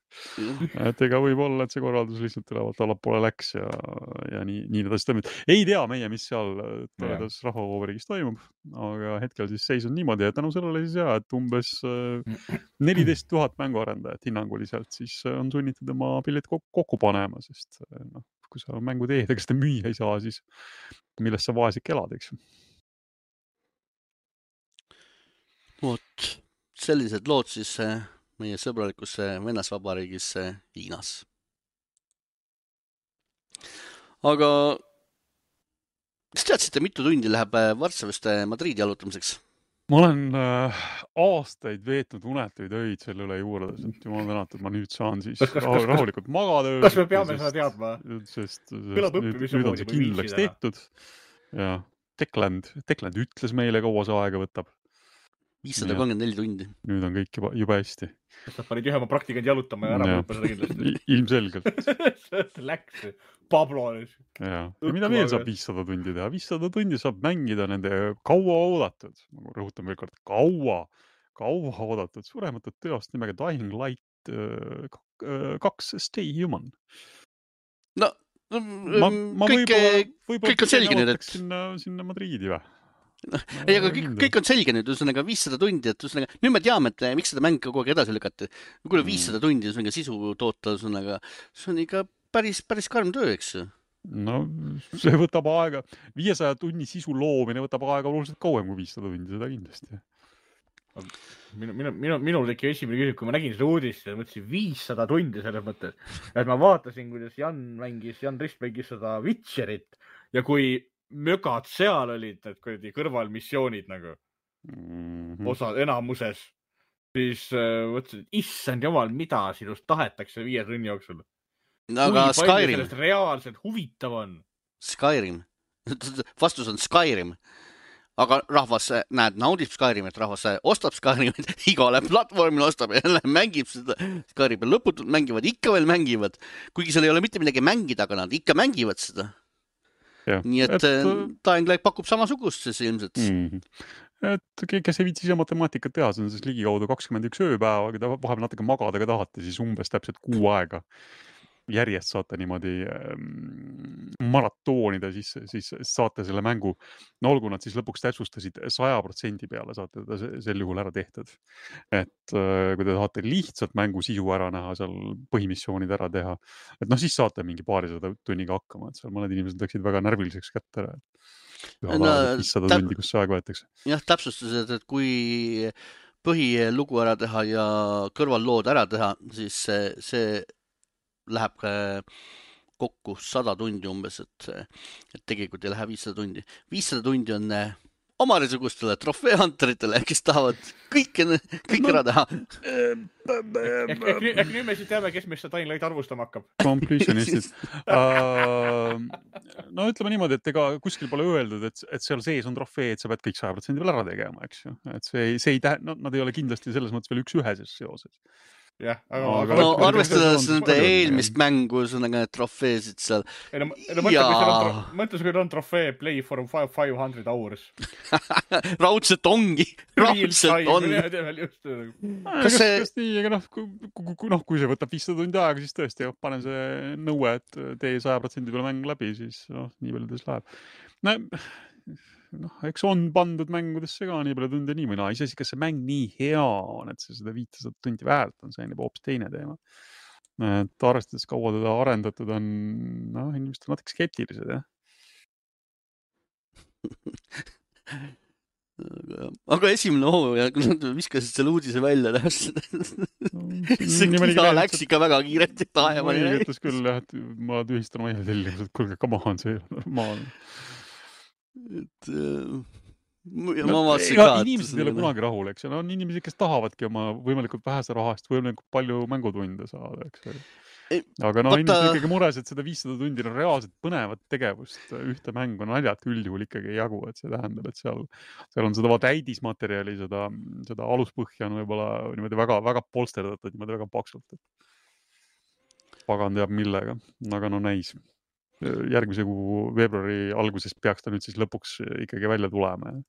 Et ega võib olla, et see korraldus lihtsalt tulevalt allapoole läks ja nii edasi toimub. Ei tea meie, mis seal toredas Rahvavabariigis toimub, aga hetkel siis seis on niimoodi, et tänu sellele siis et umbes 14 000 mänguarendajat hinnanguliselt siis on sunnitud oma pillid kokku panema, sest kui sa mängu teed, ega seda müüa ei saa, siis millest sa vaesik elad, eks? Vot, sellised lood siis meie sõbralikus Venäsvabariigis Hiinas. Aga kas teadsite, mitu tundi läheb Varssavist Madriidi jalutamiseks? Ma olen aastaid veetnud unetuid öid selle üle juurdes, et jumal tänatud, ma nüüd saan siis rahulikult magada. Kas me peame seda teadma? Sest nüüd on see kindlaks tehtud. Ja Dekland ütles meile, kaua see aega võtab. 534 tundi. Nüüd on kõik juba hästi. Kas nad panid ühe oma praktikant jalutama ja ära mõõpa seda kindlasti? Ilmselgelt. Läks Pablo. Ja mida veel saab 500 tundi teha? 500 tundi saab mängida nende kaua oodatud, ma rõhutan veel kord, kaua oodatud suurematud teost nimega Dying Light 2 Stay Human. No, kõik on selge nüüd, sinna Madriidi või? Ei, aga kõik on selge nüüd, ühesõnaga 500 tundi, et ühesõnaga, nüüd me teame, et miks seda mäng kogu aeg edasi lükati. Kui 500 tundi ühesõnaga sisu toota, ühesõnaga, see on ikka päris karm töö, eks? No, see võtab aega. 500 tunni sisu loomine võtab aega oluliselt kauem kui 500 tundi, seda kindlasti. Minul teki esimene küsimus, kui ma nägin seda uudist ja mõtlesin 500 tundi selles mõttes, et ma vaatasin, kuidas Jan Rist mängis seda Witcherit ja kui mögad seal olid, need kõrvalmissioonid nagu osa enamuses, siis mõtlesin, et issand jumal, mida sinust tahetakse 5 tunni jooksul. Aga kui palju sellest reaalselt huvitav on? Skyrim. Vastus on Skyrim. Aga rahvas naudib Skyrimit, rahvas ostab Skyrimit, igale platvormil ostab ja mängib seda Skyrimit. Lõputult mängivad, ikka veel mängivad. Kuigi seal ei ole mitte midagi mängida, aga nad ikka mängivad seda. Ja, nii et Dying Light pakub samasugust siis ilmselt. Et kes ei viitsi ise matemaatikat teha, see on siis ligikaudu 21 ööpäeva, kui ta vahepeal natuke magada ka tahate, siis umbes täpselt 6 aega järjest saate niimoodi maratoonida, siis saate selle mängu, no olgu nad siis lõpuks täpsustasid 100% peale, saate teda sel juhul ära tehtud. Et kui te tahate lihtsalt mängu sisu ära näha, seal põhimissioonid ära teha, et siis saate mingi 200 tunniga hakkama, et seal mõned inimesed läksid väga närviliseks kätte ära. Ühal ajal 500 tundi, kus see aeg võetakse. Jah, täpsustused, et kui põhilugu ära teha ja kõrvallood ära teha, siis see läheb kokku 100 tundi umbes, et tegelikult ei lähe 500 tundi. 500 tundi on omarisugustele trofeehunteritele, kes tahavad kõik ära teha. Ehk nüüd me siis teame, kes meist Dying Light arvustama hakkab. Completionistid. No ütleme niimoodi, et ega kuskil pole öeldud, et seal sees on trofee, et sa pead kõik 100% veel ära tegema, eks ju. Et see ei nad ei ole kindlasti selles mõttes veel üks üheses seoses. jah, Aga no võtame arvestades ikkagi nende palju on, eelmist mängu, ühesõnaga need trofeesid seal. mõtle, kui on trofee Play for 500 hours. Raudselt ongi, raudselt on. Kas nii, aga kui see võtab 500 tundi aega, siis tõesti panen see nõue, et tee 100% peale mäng läbi, siis nii palju tõesti läheb. Eks on pandud mängudesse ka nii palju tunde nii või naa. Iseasi, kas see mäng nii hea on, et see seda 500 tundi väärt on, see on juba hoopis teine teema. Et arvestades kaua teda arendatud on, inimesed on natuke skeptilised, jah. Aga esimene hooaja, kui nad viskasid selle uudise välja, see kisa läks ikka väga kiiresti taevani. Ma ütles küll, et ma tühistan oma tellimused, kuulge, come on, see normaalne. Inimesed ei ole kunagi rahul, eks. On inimesed, kes tahavadki oma võimalikult vähese rahast võimalikult palju mängutunde saada, eks. Aga inimesed ikkagi mures, et seda 500 tundi on reaalselt põnevat tegevust ühte mängu naljat üldjuhul ikkagi ei jagu, et see tähendab, et seal on seda täidismaterjali, seda aluspõhja on võib-olla niimoodi väga, väga polsterdatud, niimoodi väga paksult. Pagan teab millega, aga näis. Järgmise kuu veebruari alguses peaks ta nüüd siis lõpuks ikkagi välja tulema.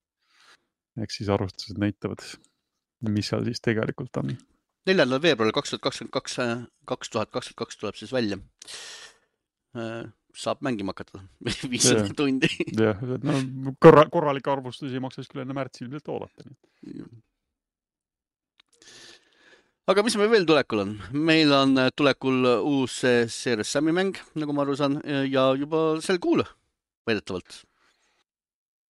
Eks siis arvustused näitavad, mis seal siis tegelikult on. 4. veebruaril 2022 tuleb siis välja. Saab mängima hakata 500 tundi. Jah, korralik arvustusi maksas küll enne märtsi ilmselt oodata. Aga mis meil veel tulekul on? Meil on tulekul uus Serious Sami mäng, nagu ma aru saan, ja juba sel kuul väidetavalt.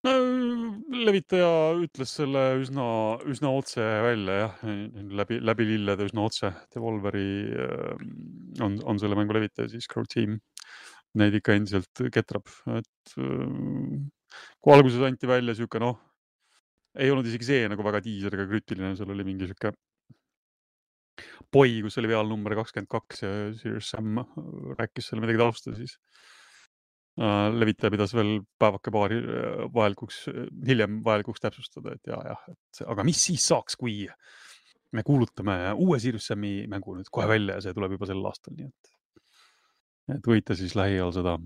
Levitaja ütles selle üsna otse välja, jah, läbi lillede üsna otse. Devolveri on selle mängu levitaja, siis Crow Team. Neid ikka endiselt ketrab. Et kui alguses anti välja siuke, ei olnud isegi see nagu väga tiiseriga krütiline, seal oli mingi siuke poi, kus oli vealnumber 22 ja Serious Sam rääkis selle midagi tausta, siis levitaja pidas veel päevake paari hiljem vajalikuks täpsustada, et aga mis siis saaks, kui me kuulutame uue Serious Sami mängu nüüd kohe välja ja see tuleb juba sel aastal, nii et võite siis lähiajal seda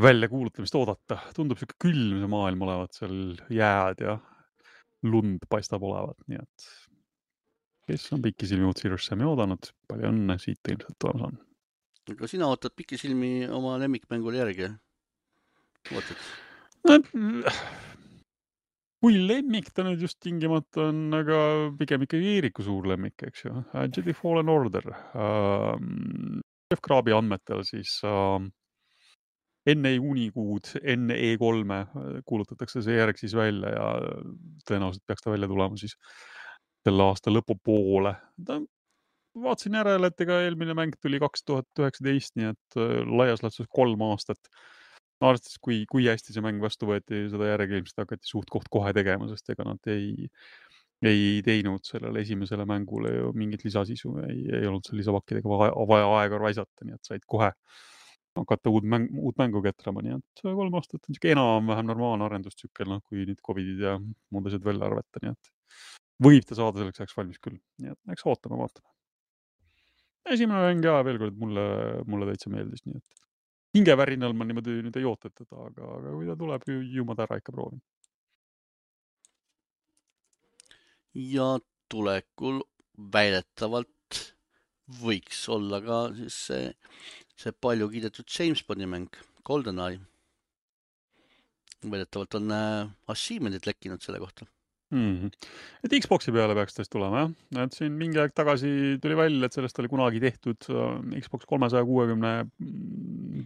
väljakuulutamist oodata. Tundub siuke külm see maailm olevat, seal jääd ja lund paistab olevat, nii et kes on pikisilmi uut Serious Sami oodanud, palju õnne siit ilmselt tulemas on. Aga sina ootad pikisilmi oma lemmikmängule järgi? Kui lemmik ta nüüd just tingimata on, aga pigem ikkagi Eeriku suur lemmik, eks ju. Jedi Fallen Order. Jeff Graabi andmetel siis enne juunikuud, enne E3 kuulutatakse see järg siis välja ja tõenäoliselt peaks ta välja tulema siis selle aasta lõpupoole. Vaatasin järele, et eelmine mäng tuli 2019, nii et laias laastus 3 aastat. Arvestades, kui hästi see mäng vastu võeti, seda järgi ilmselt hakati suht kohe tegema, sest ega nad ei teinud sellele esimesele mängule ju mingit lisasisu, ei olnud seal lisapakkidega vaja aega raisata, nii et said kohe hakata uut mängu ketrama, nii et 3 aastat on enam-vähem normaalne arendustsükkel, kui nüüd COVIDid ja muud asjad välja arvata, nii et võib ta saada selleks ajaks valmis küll, nii et eks vaatame. Esimene mäng ja veel kord mulle täitsa meeldis, nii et hingevärinal ma niimoodi nüüd ei oota teda, aga kui ta tuleb, ju ma ta ära ikka proovin. Ja tulekul väidetavalt võiks olla ka siis see palju kiidetud James Bondi mäng, GoldenEye. Väidetavalt on achievement'id lekkinud selle kohta. Et Xboxi peale peaks tõesti tulema, jah. Et siin mingi aeg tagasi tuli välja, et sellest oli kunagi tehtud Xbox 360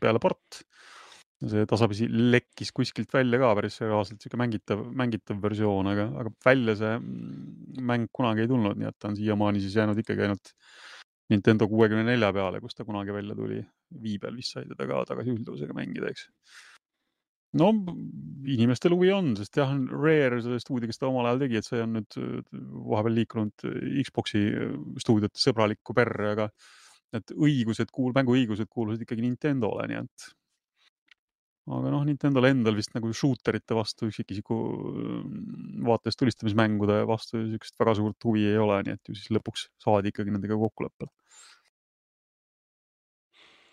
peale port. See tasapisi lekkis kuskilt välja ka päris reaalselt siuke mängitav versioon, aga välja see mäng kunagi ei tulnud, nii et ta on siiamaani siis jäänud ikkagi ainult Nintendo 64 peale, kus ta kunagi välja tuli. Wii peal vist sai teda ka tagasi üldusega mängida, eks. No inimestel huvi on, sest jah, Rare selle stuudio, kes ta omal ajal tegi, et see on nüüd vahepeal liikunud Xboxi stuudiote sõbralikku perre, aga et mänguõigused kuulusid ikkagi Nintendole, nii et aga noh, Nintendol endal vist nagu shooterite vastu üksikisiku vaates tulistamismängude vastu niisugust väga suurt huvi ei ole, nii et ju siis lõpuks saadi ikkagi nendega kokkuleppele.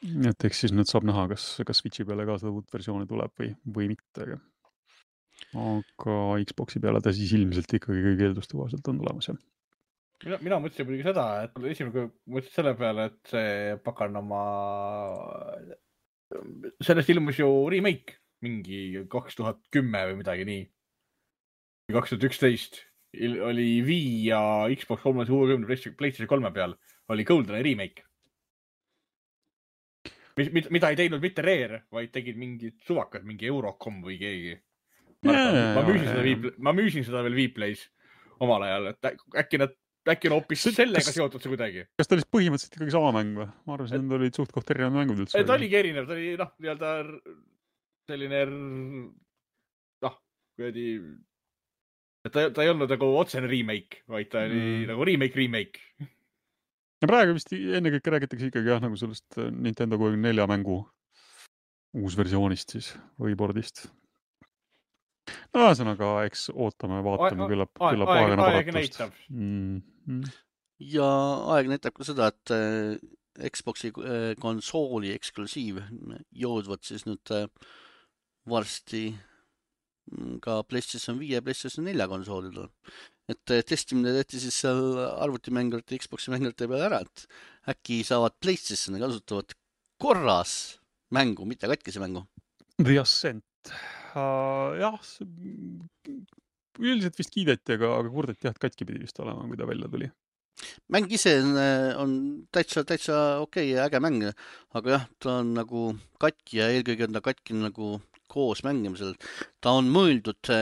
Et eks siis nüüd saab näha, kas Switchi peale ka seda uut versiooni tuleb või mitte. Aga Xboxi peale ta siis ilmselt ikkagi kõige eelduste kohaselt on tulemas, jah. Mina mõtlesin muidugi seda, et esimene mõtlesin selle peale, et see pakanama... Sellest ilmus ju remake mingi 2010 või midagi nii. 2011 oli Wii ja Xbox 360 PlayStation 3 peal oli GoldenEye remake. Mida ei teinud mitte Rare, vaid tegid mingid suvakad, mingi Eurocom või keegi. Ma müüsin seda veel Vplays omal ajal, et äkki on hoopis sellega seotud see kuidagi. Kas ta oli põhimõtteliselt ikkagi sama mäng või? Ma arvasin, et olid suht koht erinevad mängud üldse. Ta oligi erinev, ta oli nii-öelda selline ta ei olnud nagu otsene remake, vaid ta oli nagu remake. Ja praegu vist ennekõike räägitakse ikkagi nagu sellest Nintendo 64 mängu uusversioonist siis või boardist. No ühesõnaga, eks ootame, vaatame, küllap aeg näitab. Ja aeg näitab ka seda, et Xboxi konsooli eksklusiiv jõudvad siis nüüd varsti ka PlayStation 5 ja PlayStation 4 konsoolidel. Et testimine tehti siis seal arvutimängurite, Xboxi mängurite peale ära, et äkki saavad PlayStationi kasutavad korras mängu, mitte katkise mängu. The Ascent. Jah, üldiselt vist kiideti, aga kurdeti jah, et katki pidi vist olema, kui ta välja tuli. Mäng ise on täitsa okei ja äge mäng, aga jah, ta on nagu katki ja eelkõige on ta katki nagu koos mängimisel. Ta on mõeldud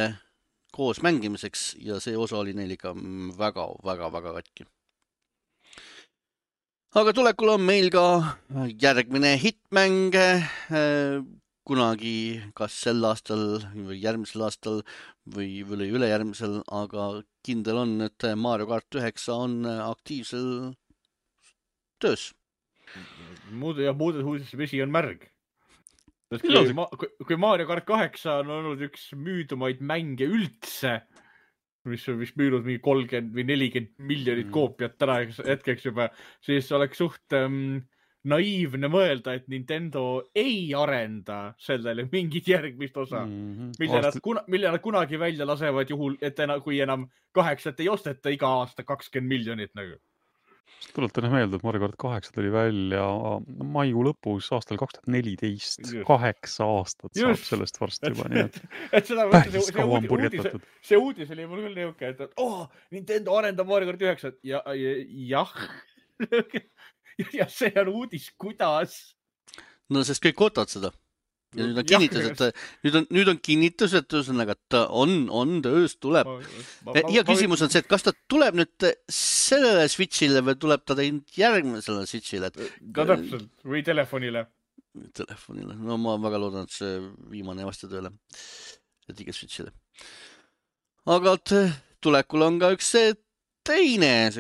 koos mängimiseks ja see osa oli neil ikka väga katki. Aga tulekul on meil ka järgmine hitmäng kunagi kas sel aastal või järgmisel aastal või ülejärgmisel, aga kindel on, et Mario Kart 9 on aktiivsel töös. Muudes uudistes vesi on märg. Kui Mario Kart 8 on olnud üks müüdumaid mänge üldse, mis on vist müünud mingi 30 või 40 miljonit koopiat täna hetkeks juba, siis oleks suht naiivne mõelda, et Nintendo ei arenda sellele mingit järgmist osa, mille nad kunagi välja lasevad juhul, et kui enam 8 ei osteta iga aasta 20 miljonit nagu. Tuletan meelde, et Mario Kart 8 tuli välja maikuu lõpus aastal 2014. 8 aastat saab sellest varsti juba. Päris kaua on purjetatud. See uudis oli mul küll niuke, et Nintendo arendab Mario Kart 9. Jah. Ja see on uudis, kuidas? No sest kõik ootavad seda. Ja nüüd on kinnitus, et ta on töös, tuleb. Ja küsimus on see, et kas ta tuleb nüüd sellele Switchile või tuleb ta järgmisele Switchile? Ka täpselt, või telefonile. No ma väga loodan, et see viimane vasta tööle. Et iga Switchile. Aga tulekul on ka üks teine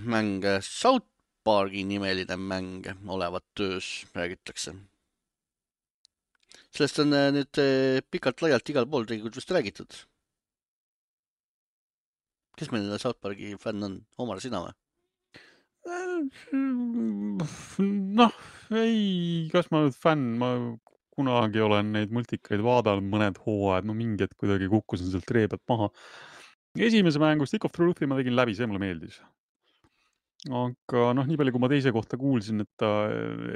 mäng, South Parki nimeline mäng olevat töös, räägitakse. Sellest on nüüd pikalt laialt igal pool tegelikult vist räägitud. Kes meil South Parki fänn on? Omar, sina või? Noh, ei, kas ma nüüd fänn, ma kunagi olen neid multikaid vaadanud mõned hooajad, mingi hetk kuidagi kukkusin sealt ree pealt maha. Esimese mängu Stick of Truthi ma tegin läbi, see mulle meeldis. Aga nii palju, kui ma teise kohta kuulsin, et ta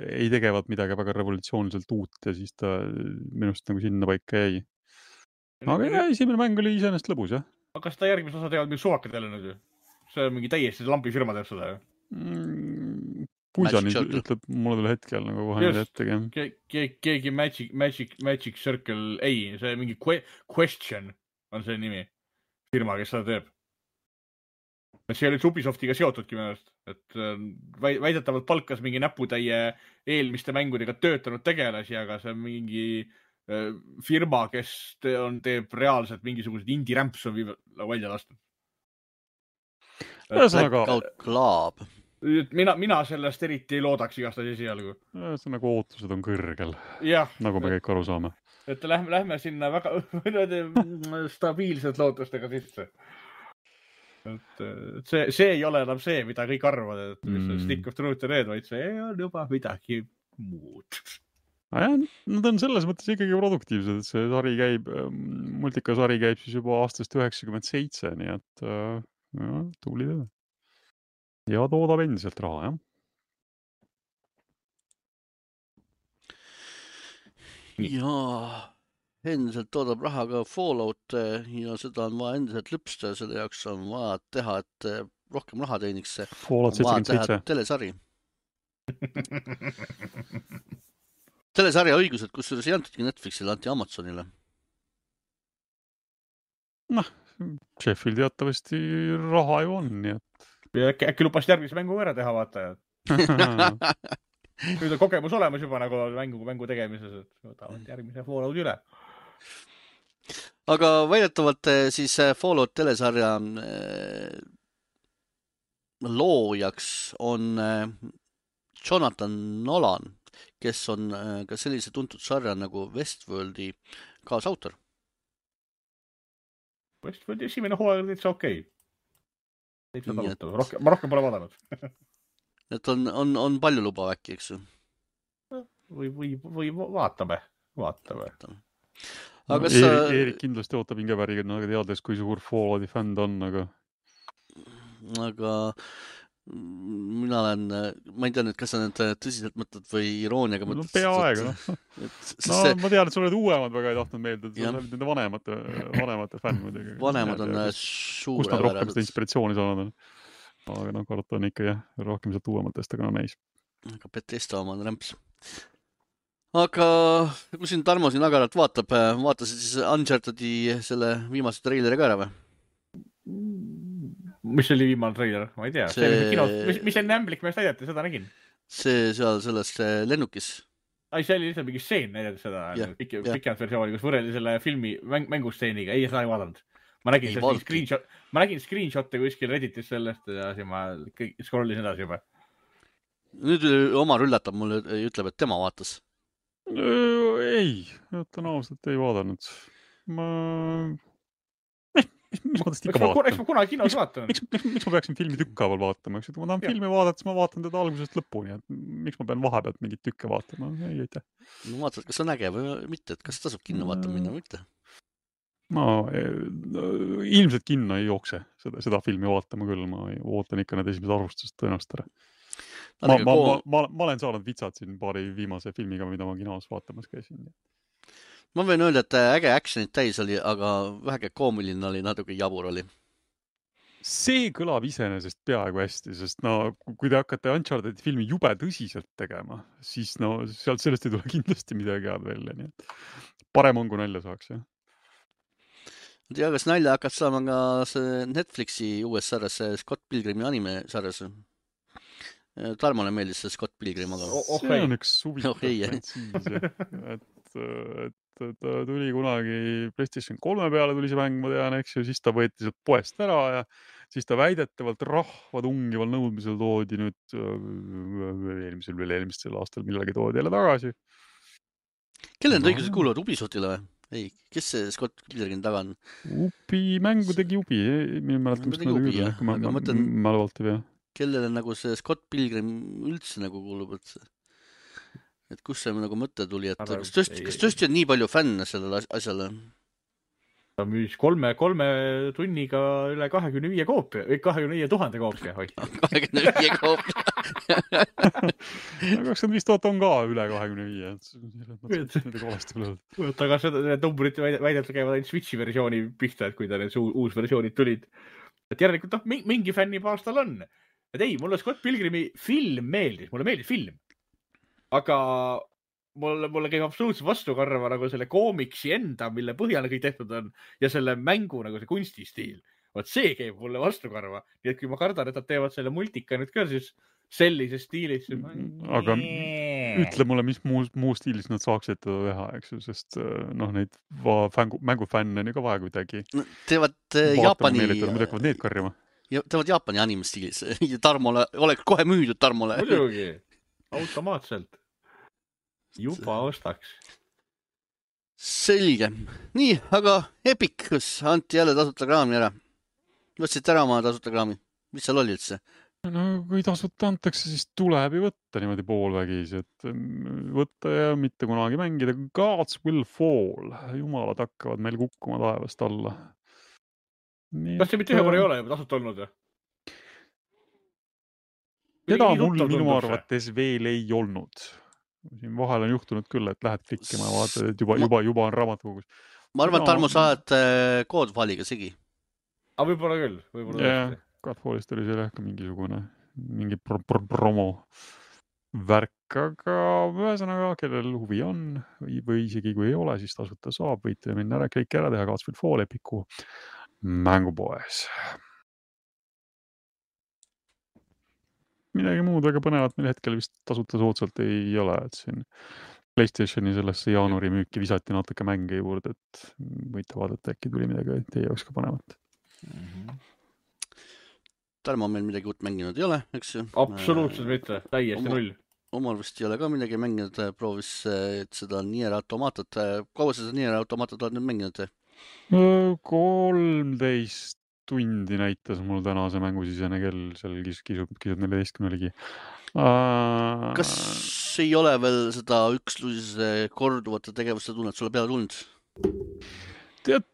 ei tegevat midagi väga revolutsiooniliselt uut ja siis ta minust nagu sinna paika jäi. Aga esimene mäng oli iseenesest lõbus, jah. Aga kas ta järgmist osa teevad mingi suvakad jälle nüüd? See on mingi täiesti lambifirma teeb seda, ju? Puisani ütleb mulle tule hetkel nagu kohe nüüd ettegi. Keegi Magic Circle, ei, see mingi Question on see nimi. Firma, kes seda teeb. See oli Ubisoftiga seotudki minust, et väidetavalt palkas mingi näputäie eelmiste mängudega töötanud tegelasi, aga see on mingi firma, kes teeb reaalselt mingisugused indie-rämps on välja lastud. Blackout Club. Mina sellest eriti ei loodaks igast esialgu. See nagu ootused on kõrgel, ja. Nagu me kõik aru saame. et lähme sinna väga stabiilselt lootustega sisse. Et see ei ole enam see, mida kõik arvavad, et mis on Stick of Truth ja need, vaid see on juba midagi muud. Nad on selles mõttes ikkagi produktiivsed, et see sari käib, multikasari käib siis juba aastast 97, nii et tubli töö. Ja toodab endiselt raha, jah. Ja endiselt toodab raha ka Fallout ja seda on vaja endiselt lüpsta ja selle jaoks on vaja teha, et rohkem raha teeniks see. Fallout 77. Telesari. Telesarja õigused, kusjuures ei antudki Netflixile, anti Amazonile. Noh, Sheffield teatavasti raha ju on, nii et... Äkki lubasid järgmise mängu ära teha, vaatajad. Nüüd on kogemus olemas juba nagu mängu tegemises, et võtavad järgmise Fallout üle. Aga väidetavalt siis Fallout telesarja loojaks on Jonathan Nolan, kes on ka sellise tuntud sarja nagu Westworldi kaasautor. Westworldi esimene hooaeg oli täitsa okei. Ma rohkem pole vaadanud. Et on palju luba äkki, eks ju? Või vaatame. Aga kas Erik kindlasti ootab hingeväriga, teades, kui suur Fallouti fänn on, aga mina olen, ma ei tea nüüd, kas sa nüüd tõsiselt mõtled või irooniaga mõtled. No peaaegu. Ma tean, et sa oled uuemad väga ei tahtnud meelde, et sa oled nende vanemate fänn muidugi. Vanemad on suure kust nad rohkem seda inspiratsiooni saanud on. Aga karta on ikka rohkem sealt uuematest, aga näis. Aga Bethesda oma on rämps. Aga kui siin Tarmo siin agaralt vaatasid siis Unchartedi selle viimase treileri ka ära või? Mis oli viimane treiler? Ma ei tea. Mis enne ämblik meest näidati, seda nägin. See seal sellest lennukis. See oli lihtsalt mingi stseen näidati seda. Pikemalt versiooni, kus võrreli selle filmi mängustseeniga. Ei, seda ei vaadanud. Ma nägin screenshotte kuskil Redditis sellest ja siis ma scrollisin edasi juba. Nüüd Omar üllatab mulle ja ütleb, et tema vaatas. Ei, ütlen ausalt, ei vaadanud. Mis ma tõesti ikka vaatan? Eks ma kunagi kinos vaatan. Miks ma peaksin filmi tükkaaval vaatama? Kui ma tahan filmi vaadata, siis ma vaatan teda algusest lõpuni. Miks ma pean vahepealt mingit tükke vaatama? Ei, aitäh. No vaatad, kas on äge või mitte, et kas tasub kinno vaatama minna või mitte? Ilmselt kinno ei jookse seda filmi vaatama küll. Ma ootan ikka need esimesed arvustused tõenäoliselt ära. Ma olen saanud vitsad siin paari viimase filmiga, mida ma kinos vaatamas käisin. Ma võin öelda, et äge actionit täis oli, aga väheke koomiline oli, natuke jabur oli. See kõlab iseenesest peaaegu hästi, sest kui te hakkate Uncharted filmi jube tõsiselt tegema, siis sealt sellest ei tule kindlasti midagi head välja. Nii et parem on, kui nalja saaks, jah. Ma tea, kas nalja hakkad saama ka see Netflixi uues sarjas, Scott Pilgrimi anime sarjas. Tarmole meeldis see Scott Pilgrim, aga... See on üks huvitav frantsiis, et ta tuli kunagi PlayStation 3 peale tuli see mäng, ma tean, eks ju, siis ta võeti sealt poest ära ja siis ta väidetavalt rahva tungival nõudmisel toodi nüüd eelmisel aastal millegi toodi jälle tagasi. Kelle need õigused kuuluvad? Ubisoftile või? Ei, kes see Scott Pilgrim taga on? Mängu tegi Ubi, minu mäletamist ma lõvalt ei pea. Kellele nagu see Scott Pilgrim üldse nagu kuulub, et kus see nagu mõte tuli, et kas tõesti on nii palju fänne sellele asjale? Ta müüs 3 tunniga üle 25 koopia, 25,000 koopia. 25 koopia. 25,000 on ka üle 25. Aga need numbrid väidetavalt käivad ainult Switchi versiooni pihta, et kui ta need uus versioonid tulid. Et järelikult mingi fänni paas tal on. Et ei, mulle Scott Pilgrimi film meeldis, mulle meeldis film. Aga mulle käib absoluutselt vastukarva nagu selle koomiksi enda, mille põhjal kõik tehtud on, ja selle mängu nagu see kunstistiil. Vaat see käib mulle vastukarva. Nii et kui ma kardan, et nad teevad selle multika nüüd ka, siis sellises stiilis. Aga ütle mulle, mis muu stiilis nad saaksid teda teha, eks ju, sest neid mängufänne on ju ka vaja kuidagi. Teevad Jaapani... Need karjama. Teevad Jaapani anime-stiilis. Tarmole, oleks kohe müüdud Tarmole. Muidugi. Automaatselt. Juba ostaks. selge. Nii, aga Epicus anti jälle tasuta kraami ära. Võtsid ära oma tasuta kraami. Mis seal oli üldse? No kui tasuta antakse, siis tuleb ju võtta niimoodi poolvägis, et võtta ja mitte kunagi mängida. Gods will fall. Jumalad hakkavad meil kukkuma taevast alla. Kas see mitte ühe korra ei ole juba tasuta olnud? Seda mul minu arvates veel ei olnud. Siin vahel on juhtunud küll, et lähed klikkima ja vaatad, et juba on raamatukogus. Ma arvan, et Tarmo saad koodfaaliga segi. Aga võib-olla küll. Jah, Godfallist oli seal ka mingi promo värk, aga ühesõnaga, kellel huvi on või isegi kui ei ole, siis tasuta saab, võite minna ära, kõik ära teha Gods will fall Epicu mängupoes. Midagi muud väga põnevat meil hetkel vist tasuta soodsalt ei ole, et siin PlayStationi sellesse jaanuari müüki visati natuke mänge juurde, et võite vaadata, äkki tuli midagi teie jaoks ka põnevat. Tarmo meil midagi uut mänginud ei ole, eks ju? Absoluutselt mitte, täiesti null. Omal vist ei ole ka midagi mänginud, proovis seda Nier Automatat. Kaua sa seda Nier Automatat oled nüüd mänginud? 13 tundi näitas mul täna see mängusisene kell, seal kisub 14 ligi. Kas ei ole veel seda üksluse korduvate tegevuste tunnet sulle peale tulnud? Tead,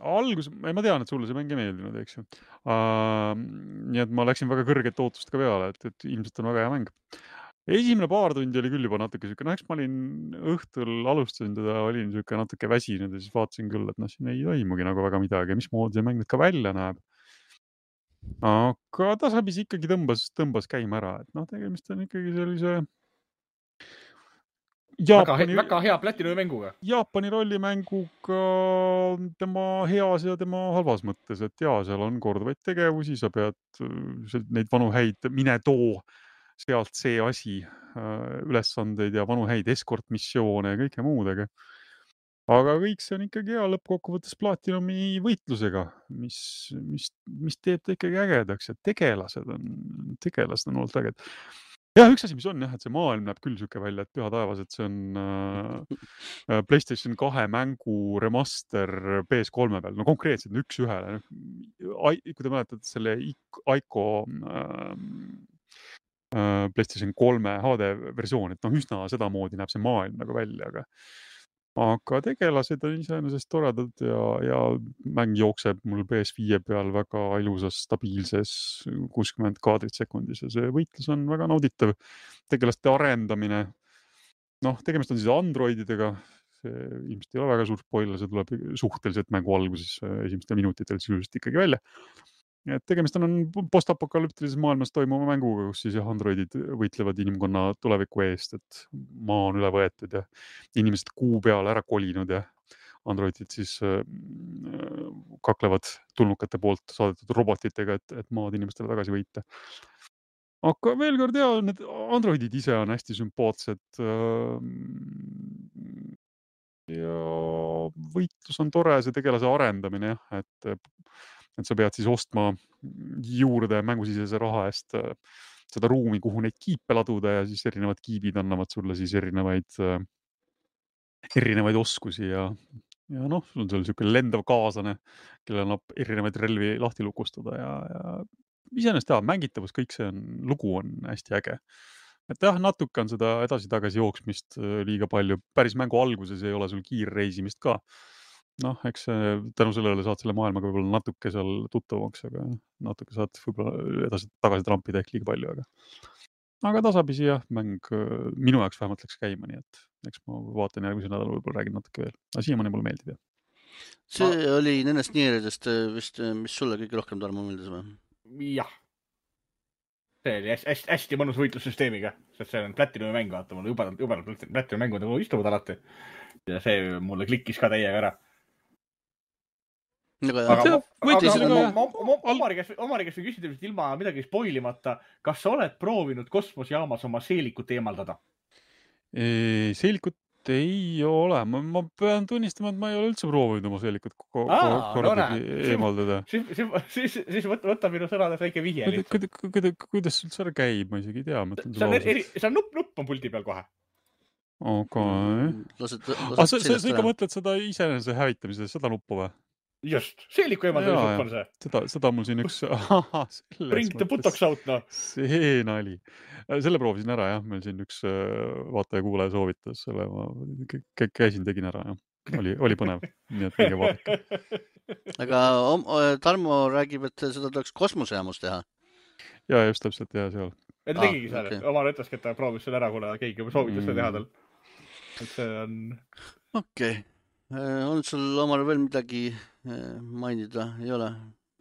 algus, ma tean, et sulle see mäng ei meeldinud, eks ju. Nii et ma läksin väga kõrget ootust ka peale, et ilmselt on väga hea mäng. Esimene paar tundi oli küll juba natuke siuke, eks ma olin õhtul alustasin teda, olin siuke natuke väsinud ja siis vaatasin küll, et siin ei toimugi nagu väga midagi, mismoodi see mäng nüüd ka välja näeb. Aga tasapisi ikkagi tõmbas käima ära, et tegemist on ikkagi sellise väga hea Platinumi mänguga. Jaapani rollimänguga tema heas ja tema halvas mõttes, et seal on korduvaid tegevusi, sa pead neid vanu häid mine too sealt see asi, ülesandeid ja vanu häid eskortmissioone ja kõike muudega. Aga kõik see on ikkagi hea lõppkokkuvõttes Platinumi võitlusega, mis teeb ta ikkagi ägedaks ja tegelased on olnud äged. Jah, üks asi, mis on, et see maailm näeb küll siuke välja, et püha taevas, et see on PlayStation 2 mängu remaster PS3 peal. Konkreetselt üks ühele. Kui te mäletad selle Ico PlayStation 3 HD versioon, et üsna sedamoodi näeb see maailm nagu välja, aga tegelased on iseenesest toredad ja mäng jookseb mul PS5 peal väga ilusas, stabiilses 60 kaadrit sekundis ja see võitlus on väga nauditav. Tegelaste arendamine, tegemist on siis androididega, see ilmselt ei ole väga suur spoiler, see tuleb suhteliselt mängu alguses esimestel minutitel sisuliselt ikkagi välja. Et tegemist on postapokalüptilises maailmas toimuma mänguga, kus siis androidid võitlevad inimkonna tuleviku eest, et maa on üle võetud ja inimesed kuu peale ära kolinud ja androidid siis kaklevad tulnukate poolt saadetud robotitega, et maad inimestele tagasi võita. Aga veel kord need androidid ise on hästi sümpaatsed ja võitlus on tore, see tegelase arendamine, et sa pead siis ostma juurde mängusisese raha eest seda ruumi, kuhu neid kiipe laduda ja siis erinevad kiibid annavad sulle siis erinevaid oskusi ja sul on seal siuke lendav kaaslane, kellel annab erinevaid relvi lahti lukustada ja iseenesest mängitavus, kõik see lugu on hästi äge. Et natuke on seda edasi-tagasi jooksmist liiga palju. Päris mängu alguses ei ole sul kiirreisimist ka. Eks tänu sellele saad selle maailmaga võib-olla natuke seal tuttavaks, aga natuke saad võib-olla edasi-tagasi trampida ehk liiga palju, aga tasapisi mäng minu jaoks vähemalt läks käima, nii et eks ma vaatan järgmise nädal võib-olla räägin natuke veel. Aga siiamaani mulle meeldib, jah. See oli nendest Nieridest vist, mis sulle kõige rohkem Tarmo meeldis või? Jah. See oli hästi mõnus võitlussüsteemiga, sest see on Platinumi mäng, vaata, mulle jubedalt Platinumi mängud istuvad alati. Ja see mulle klikkis ka täiega ära. Omari käest või küsida ilma midagi spoilimata, kas sa oled proovinud kosmosejaamas oma seelikut eemaldada? Seelikut ei ole. Ma pean tunnistama, et ma ei ole üldse proovinud oma seelikut eemaldada. Siis võta minu sõnades väike vihje. Kuidas üldse ära käib, ma isegi ei tea. See on nupp on puldi peal kohe. Okay. Lased sa ikka mõtled seda iseenese hävitamise, seda nuppu või? Just, seeliku eemaldamise nupp on see. Seda mul siin üks... Bring the buttocks out, no. See nali. Selle proovisin ära, jah. Meil siin üks vaataja-kuulaja soovitas selle. Ma käisin, tegin ära, jah. Oli põnev. Nii et minge vaadake. Aga Tarmo räägib, et seda tuleks kosmosejaamus teha. Ja just täpselt, ja seal. Ta tegigi seal, oma ütleski, et ta proovis selle ära, kuna keegi juba soovitas seda teha tal. Et see on... Okei. On sul omal veel midagi mainida? Ei ole?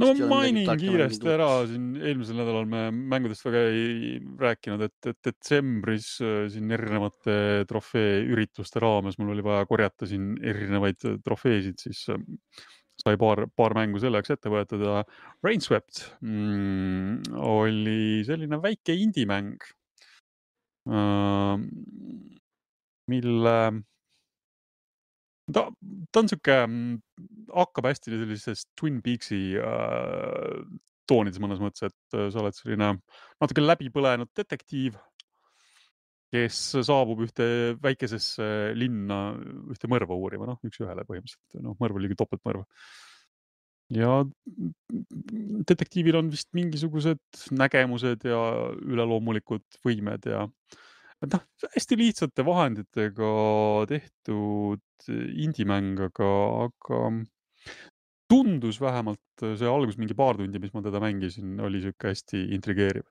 No ma mainin kiiresti ära. Siin eelmisel nädalal me mängudest väga ei rääkinud, et detsembris siin erinevate trofee ürituste raames mul oli vaja korjata siin erinevaid trofeesid, siis sai paar mängu selleks ette võetud ja Rainswept oli selline väike indie-mäng, mille ta on siuke, hakkab hästi sellisest Twin Peaksi toonides mõnes mõttes, et sa oled selline natuke läbipõlenud detektiiv, kes saabub ühte väikesesse linna ühte mõrva uurima, üks ühele põhimõtteliselt. Mõrv oli topeltmõrv. Ja detektiivil on vist mingisugused nägemused ja üleloomulikud võimed ja hästi lihtsate vahenditega tehtud indie-mäng, aga tundus vähemalt see algus mingi paar tundi, mis ma teda mängisin, oli siuke hästi intrigeeriv.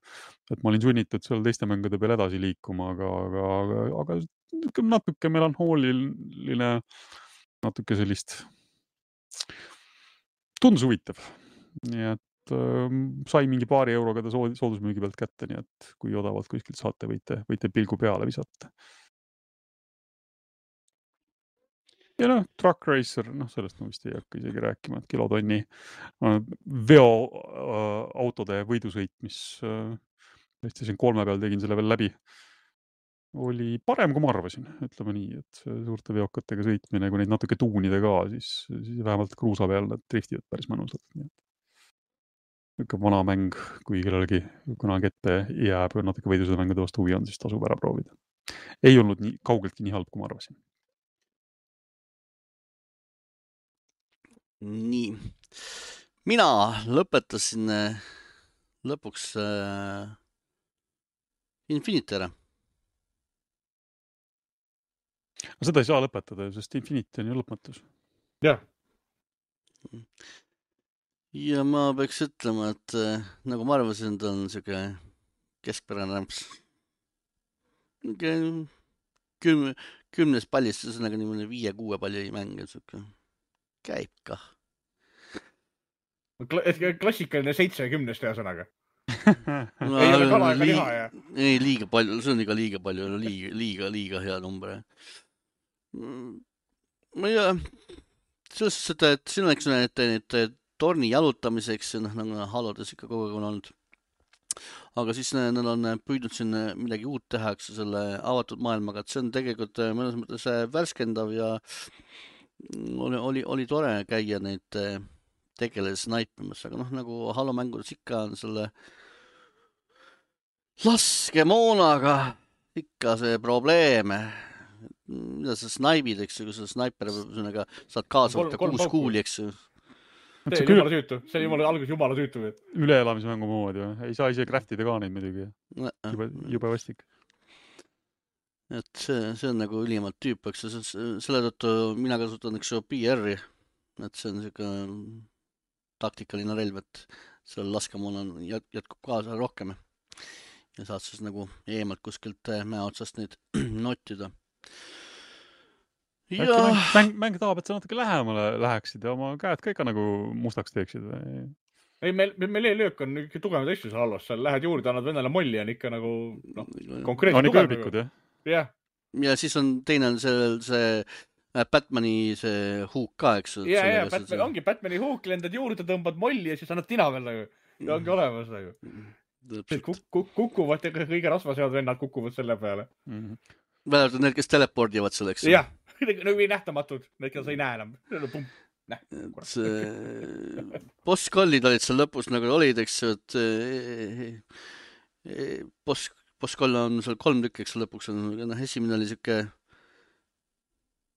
Et ma olin sunnitud seal teiste mängude peal edasi liikuma, aga natuke melanhooliline, natuke sellist tundus huvitav. Nii et sai mingi paari euroga ta soodusmüügi pealt kätte, nii et kui odavalt kuskilt saate, võite pilgu peale visata. Ja Truck Racer, sellest ma vist ei hakka isegi rääkima, et kilotonni veoautode võidusõit, mis siin 3 peal tegin selle veel läbi, oli parem, kui ma arvasin, ütleme nii, et suurte veokatega sõitmine, kui neid natuke tuunida ka, siis vähemalt kruusa peal nad driftivad päris mõnusalt. Ikka vana mäng, kui kellelegi kunagi ette jääb natuke võidusõida mängude vastu huvi on, siis tasub ära proovida. Ei olnud kaugeltki nii halb, kui ma arvasin. Nii. Mina lõpetasin lõpuks Infinite ära. Seda ei saa lõpetada, sest Infinite on ju lõpmatus. Jah. Ja ma peaks ütlema, et nagu ma arvasin, ta on siuke keskpärane rämps. 10 pallist, ühesõnaga niimoodi 5-6 palli mänge, siuke käib kah. Klassikaline 7-10 ühesõnaga. Ei ole kala ega liha, ja? Ei, liiga palju, see on ikka liiga palju, liiga hea number. Ma ei ole, selles suhtes, et siin oleks need torni jalutamiseks, nagu Halodes ikka kogu aeg on olnud. Aga siis nad on püüdnud siin midagi uut teha, selle avatud maailmaga, et see on tegelikult mõnes mõttes värskendav ja oli tore käia neid tegeles snaipimas, aga nagu Halo mängudes ikka on selle laskemoonaga ikka see probleeme. Mida sa snaibid, eks ju, kui sa snaiper saad kaasa võtta 6 kuuli, eks ju. See on jumala tüütu. See on algus jumala tüütu. Üleelamise mängu moodi. Ei saa ise craftida ka neid midagi. Jube vastik. Et see on nagu ülimalt tüüp, eks selle tõttu mina kasutan üks PR-i, et see on siuke taktikaline relv, et selle laskemoona jätkub kaasa rohkem ja saad siis nagu eemalt kuskilt mäe otsast neid nottida. Ja... Mäng tahab, et sa natuke lähemale läheksid ja oma käed ka ikka nagu mustaks teeksid. Ei, meil e-löök on ikka tugevad asju seal halvas, seal lähed juurde, annad vennale molli on ikka nagu konkreetselt tugev. Jah. Ja siis on teine on see Batmani see huuk ka, eks? Ja, ongi Batmani huuk, lendad juurde, tõmbad molli ja siis annad tina veel nagu. Ja ongi olemas nagu. Kukuvad, kõige rasvasead vennad kukuvad selle peale. Vähemalt need, kes telepordivad selleks. Jah, nagu nähtamatud, need, kes ei näe enam. Boss-kollid olid seal lõpus nagu olid, eks, et boss-koll on seal 3 tükki, eks lõpuks on, esimene oli siuke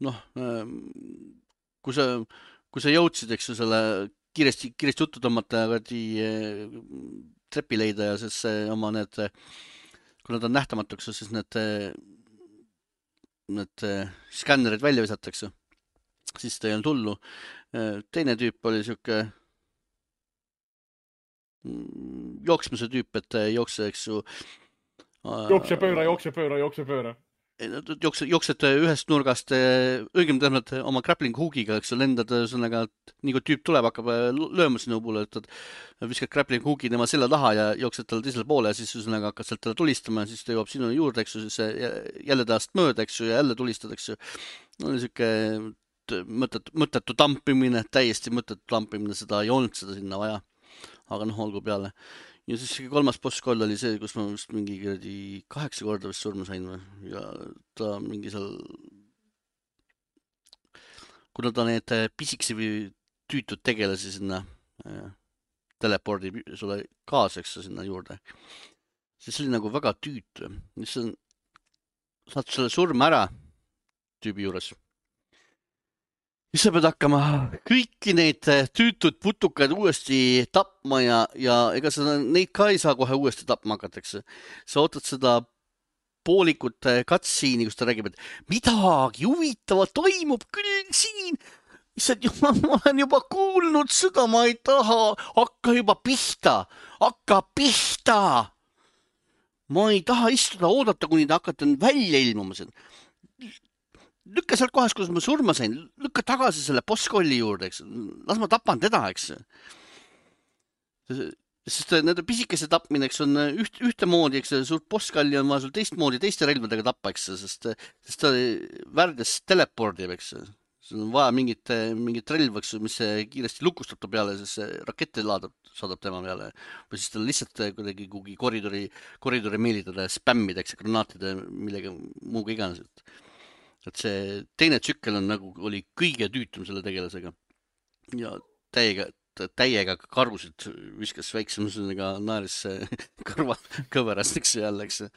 noh, kui sa jõudsid, eks ju, selle kiiresti juttu tõmmata ja trepi leida ja siis oma need, kui nad on nähtamatuks, siis need skännerid välja visatakse, siis ta ei olnud hullu. Teine tüüp oli siuke jooksmise tüüp, et jookse, eks ju. Jookse pööra. Jooksed ühest nurgast, õigemini tähendab oma grappling hoogiga, eks ju, lendad ühesõnaga, nii kui tüüp tuleb, hakkab lööma sinu poole, et viskad grappling hoogi tema selja taha ja jooksed talle teisele poole ja siis ühesõnaga hakkad sealt talle tulistama ja siis ta jõuab sinu juurde, eks ju, siis jälle tahast mööda, eks ju, ja jälle tulistad, eks ju. Oli siuke mõttetu tampimine, täiesti mõttetu tampimine, seda ei olnud seda sinna vaja. Aga noh, olgu peale. Ja siis kolmas bosskoll oli see, kus ma vist mingi 8 korda vist surma sain ja ta mingi seal, kuna ta need pisikesi või tüütud tegelasi sinna telepordi sulle kaaseks sinna juurde, siis oli nagu väga tüütu. Saad selle surma ära tüübi juures. Siis sa pead hakkama kõiki neid tüütud putukaid uuesti tapma ja ega sa neid ka ei saa kohe uuesti tapma hakatakse. Sa ootad seda poolikut cutscene'i, kus ta räägib, et midagi huvitavat toimub küll siin. Ma olen juba kuulnud seda, ma ei taha. Hakka juba pihta. Ma ei taha istuda, oodata, kuni ta hakkate välja ilmuma siin. Lükka sealt kohas, kus ma surma sain, lükka tagasi selle bosskolli juurde, eks. Las ma tapan teda, eks. Sest nende pisikese tapmine, eks, on ühtemoodi, eks, suurt bosskolli on vaja sul teistmoodi, teiste relvadega tappa, eks, sest ta väärdes telepordi, eks. Sul on vaja mingit relv, eks, mis kiiresti lukustab ta peale, siis rakette saadab tema peale. Või siis ta lihtsalt kuidagi kuhugi koridori meelitada ja spämmida, eks, granaatide millega muuga iganes. Et see teine tsükkel on nagu oli kõige tüütum selle tegelasega ja täiega karvusid viskas väiksemusega naeris kõverast, eks jälle, eks.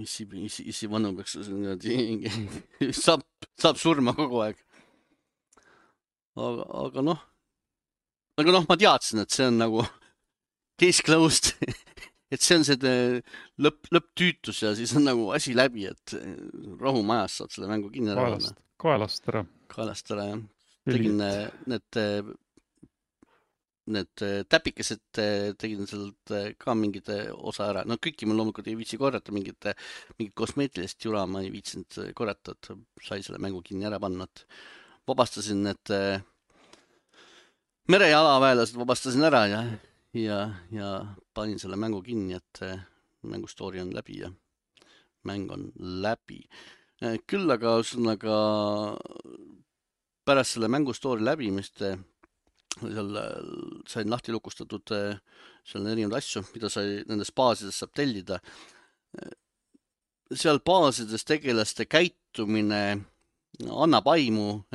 Issi vanu peaks saab surma kogu aeg. Aga noh, ma teadsin, et see on nagu case closed. Et see on see lõpptüütus ja siis on nagu asi läbi, et rahu majas saad selle mängu kinni ära. Kaelast ära, jah. Tegin need täpikesed, tegin sealt ka mingid osa ära. No kõiki ma loomulikult ei viitsi korrata, mingid kosmeetilist jura ma ei viitsinud korrata, et sai selle mängu kinni ära panna. Vabastasin need merejalaväelased, vabastasin ära ja panin selle mängu kinni, et mängustoori on läbi ja mäng on läbi. Küll aga pärast selle mängustoori läbimist seal sain lahti lukustatud seal erinevaid asju, mida sai nendes baasides saab tellida. Seal baasides tegelaste käitumine annab aimu,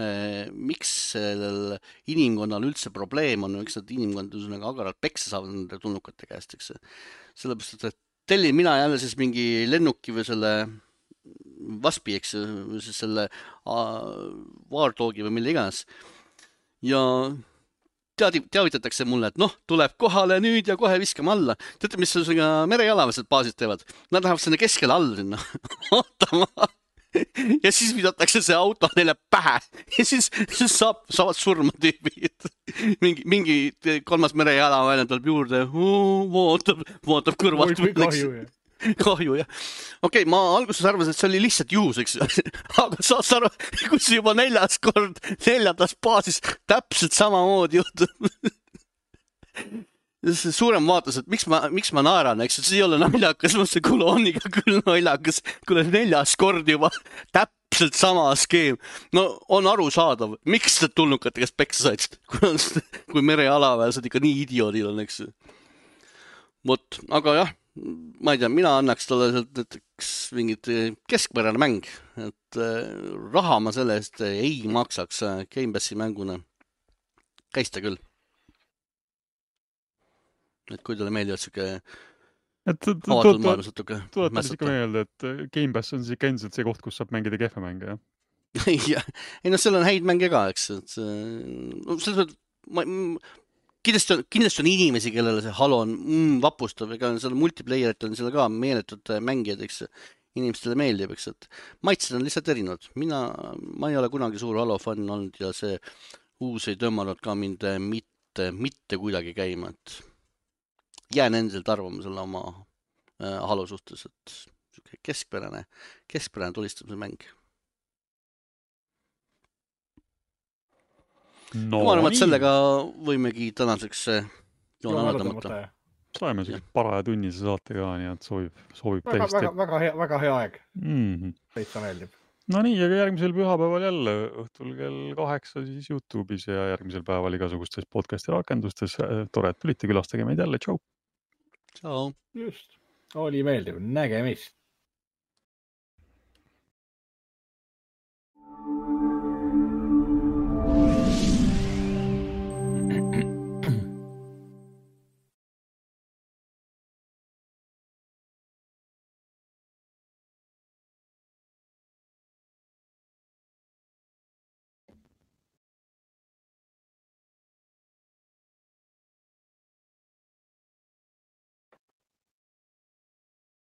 miks sellel inimkonnal üldse probleem on, miks nad inimkond agaralt peksa saavad nende tulnukate käest, eks. Sellepärast, et tellin mina jälle siis mingi lennuki või selle vaspi, eks, või siis selle Wardogi või mille iganes. Ja teavitatakse mulle, et noh, tuleb kohale nüüd ja kohe viskame alla. Teate, mis merejalaväelased baasid teevad? Nad lähevad sinna keskele alla sinna. Ootama. Ja siis visatakse see auto neile pähe ja siis saavad surma tüübid. Mingi kolmas merejalaväeline tuleb juurde, vaatab kõrvalt. Kahju, jah. Okei, ma alguses arvasin, et see oli lihtsalt juhus, eks. Aga saad aru, kui see juba 4. kord 4. baasis täpselt samamoodi juhtub. Suurem vaatas, et miks ma naeran, eks, see ei ole naljakas, see kolooniga küll naljakas, kuule 4. kord juba täpselt sama skeem. No on arusaadav, miks need tulnukate käest peksa said, kui merejalaväelased ikka nii idioodid on, eks. Vot, aga jah, ma ei tea, mina annaks talle näiteks mingit keskpärane mäng, et raha ma selle eest ei maksaks Game Passi mänguna. Käis ta küll. Et kui talle meeldivad siuke avatud maailmas natuke. Tuletan ikka meelde, et Game Pass on siis ikka endiselt see koht, kus saab mängida kehva mänge, jah? ei noh, seal on häid mänge ka, eks, et kindlasti on inimesi, kellele see Halo on vapustav, ega seal multiplayerit on seal ka meeletud mängijad, eks, inimestele meeldib, eks, et maitsed on lihtsalt erinevad. Ma ei ole kunagi suur Halo fänn olnud ja see uus ei tõmmanud ka mind mitte kuidagi käima, et jään endiselt arvamusele oma Halo suhtes, et keskpärane tulistamise mäng. No, ma arvan, et sellega võimegi tänaseks joone alla tõmmata. Saime sellise paraja tunnise saate ka, nii et sobib täiesti. Väga hea aeg. Täitsa meeldib. No nii, aga järgmisel pühapäeval jälle õhtul kell 8 siis YouTube'is ja järgmisel päeval igasugustes podcasti rakendustes. Tore, et tulite, külastage meid jälle. Tšau! Tšau! Just, oli meeldiv. Nägemist!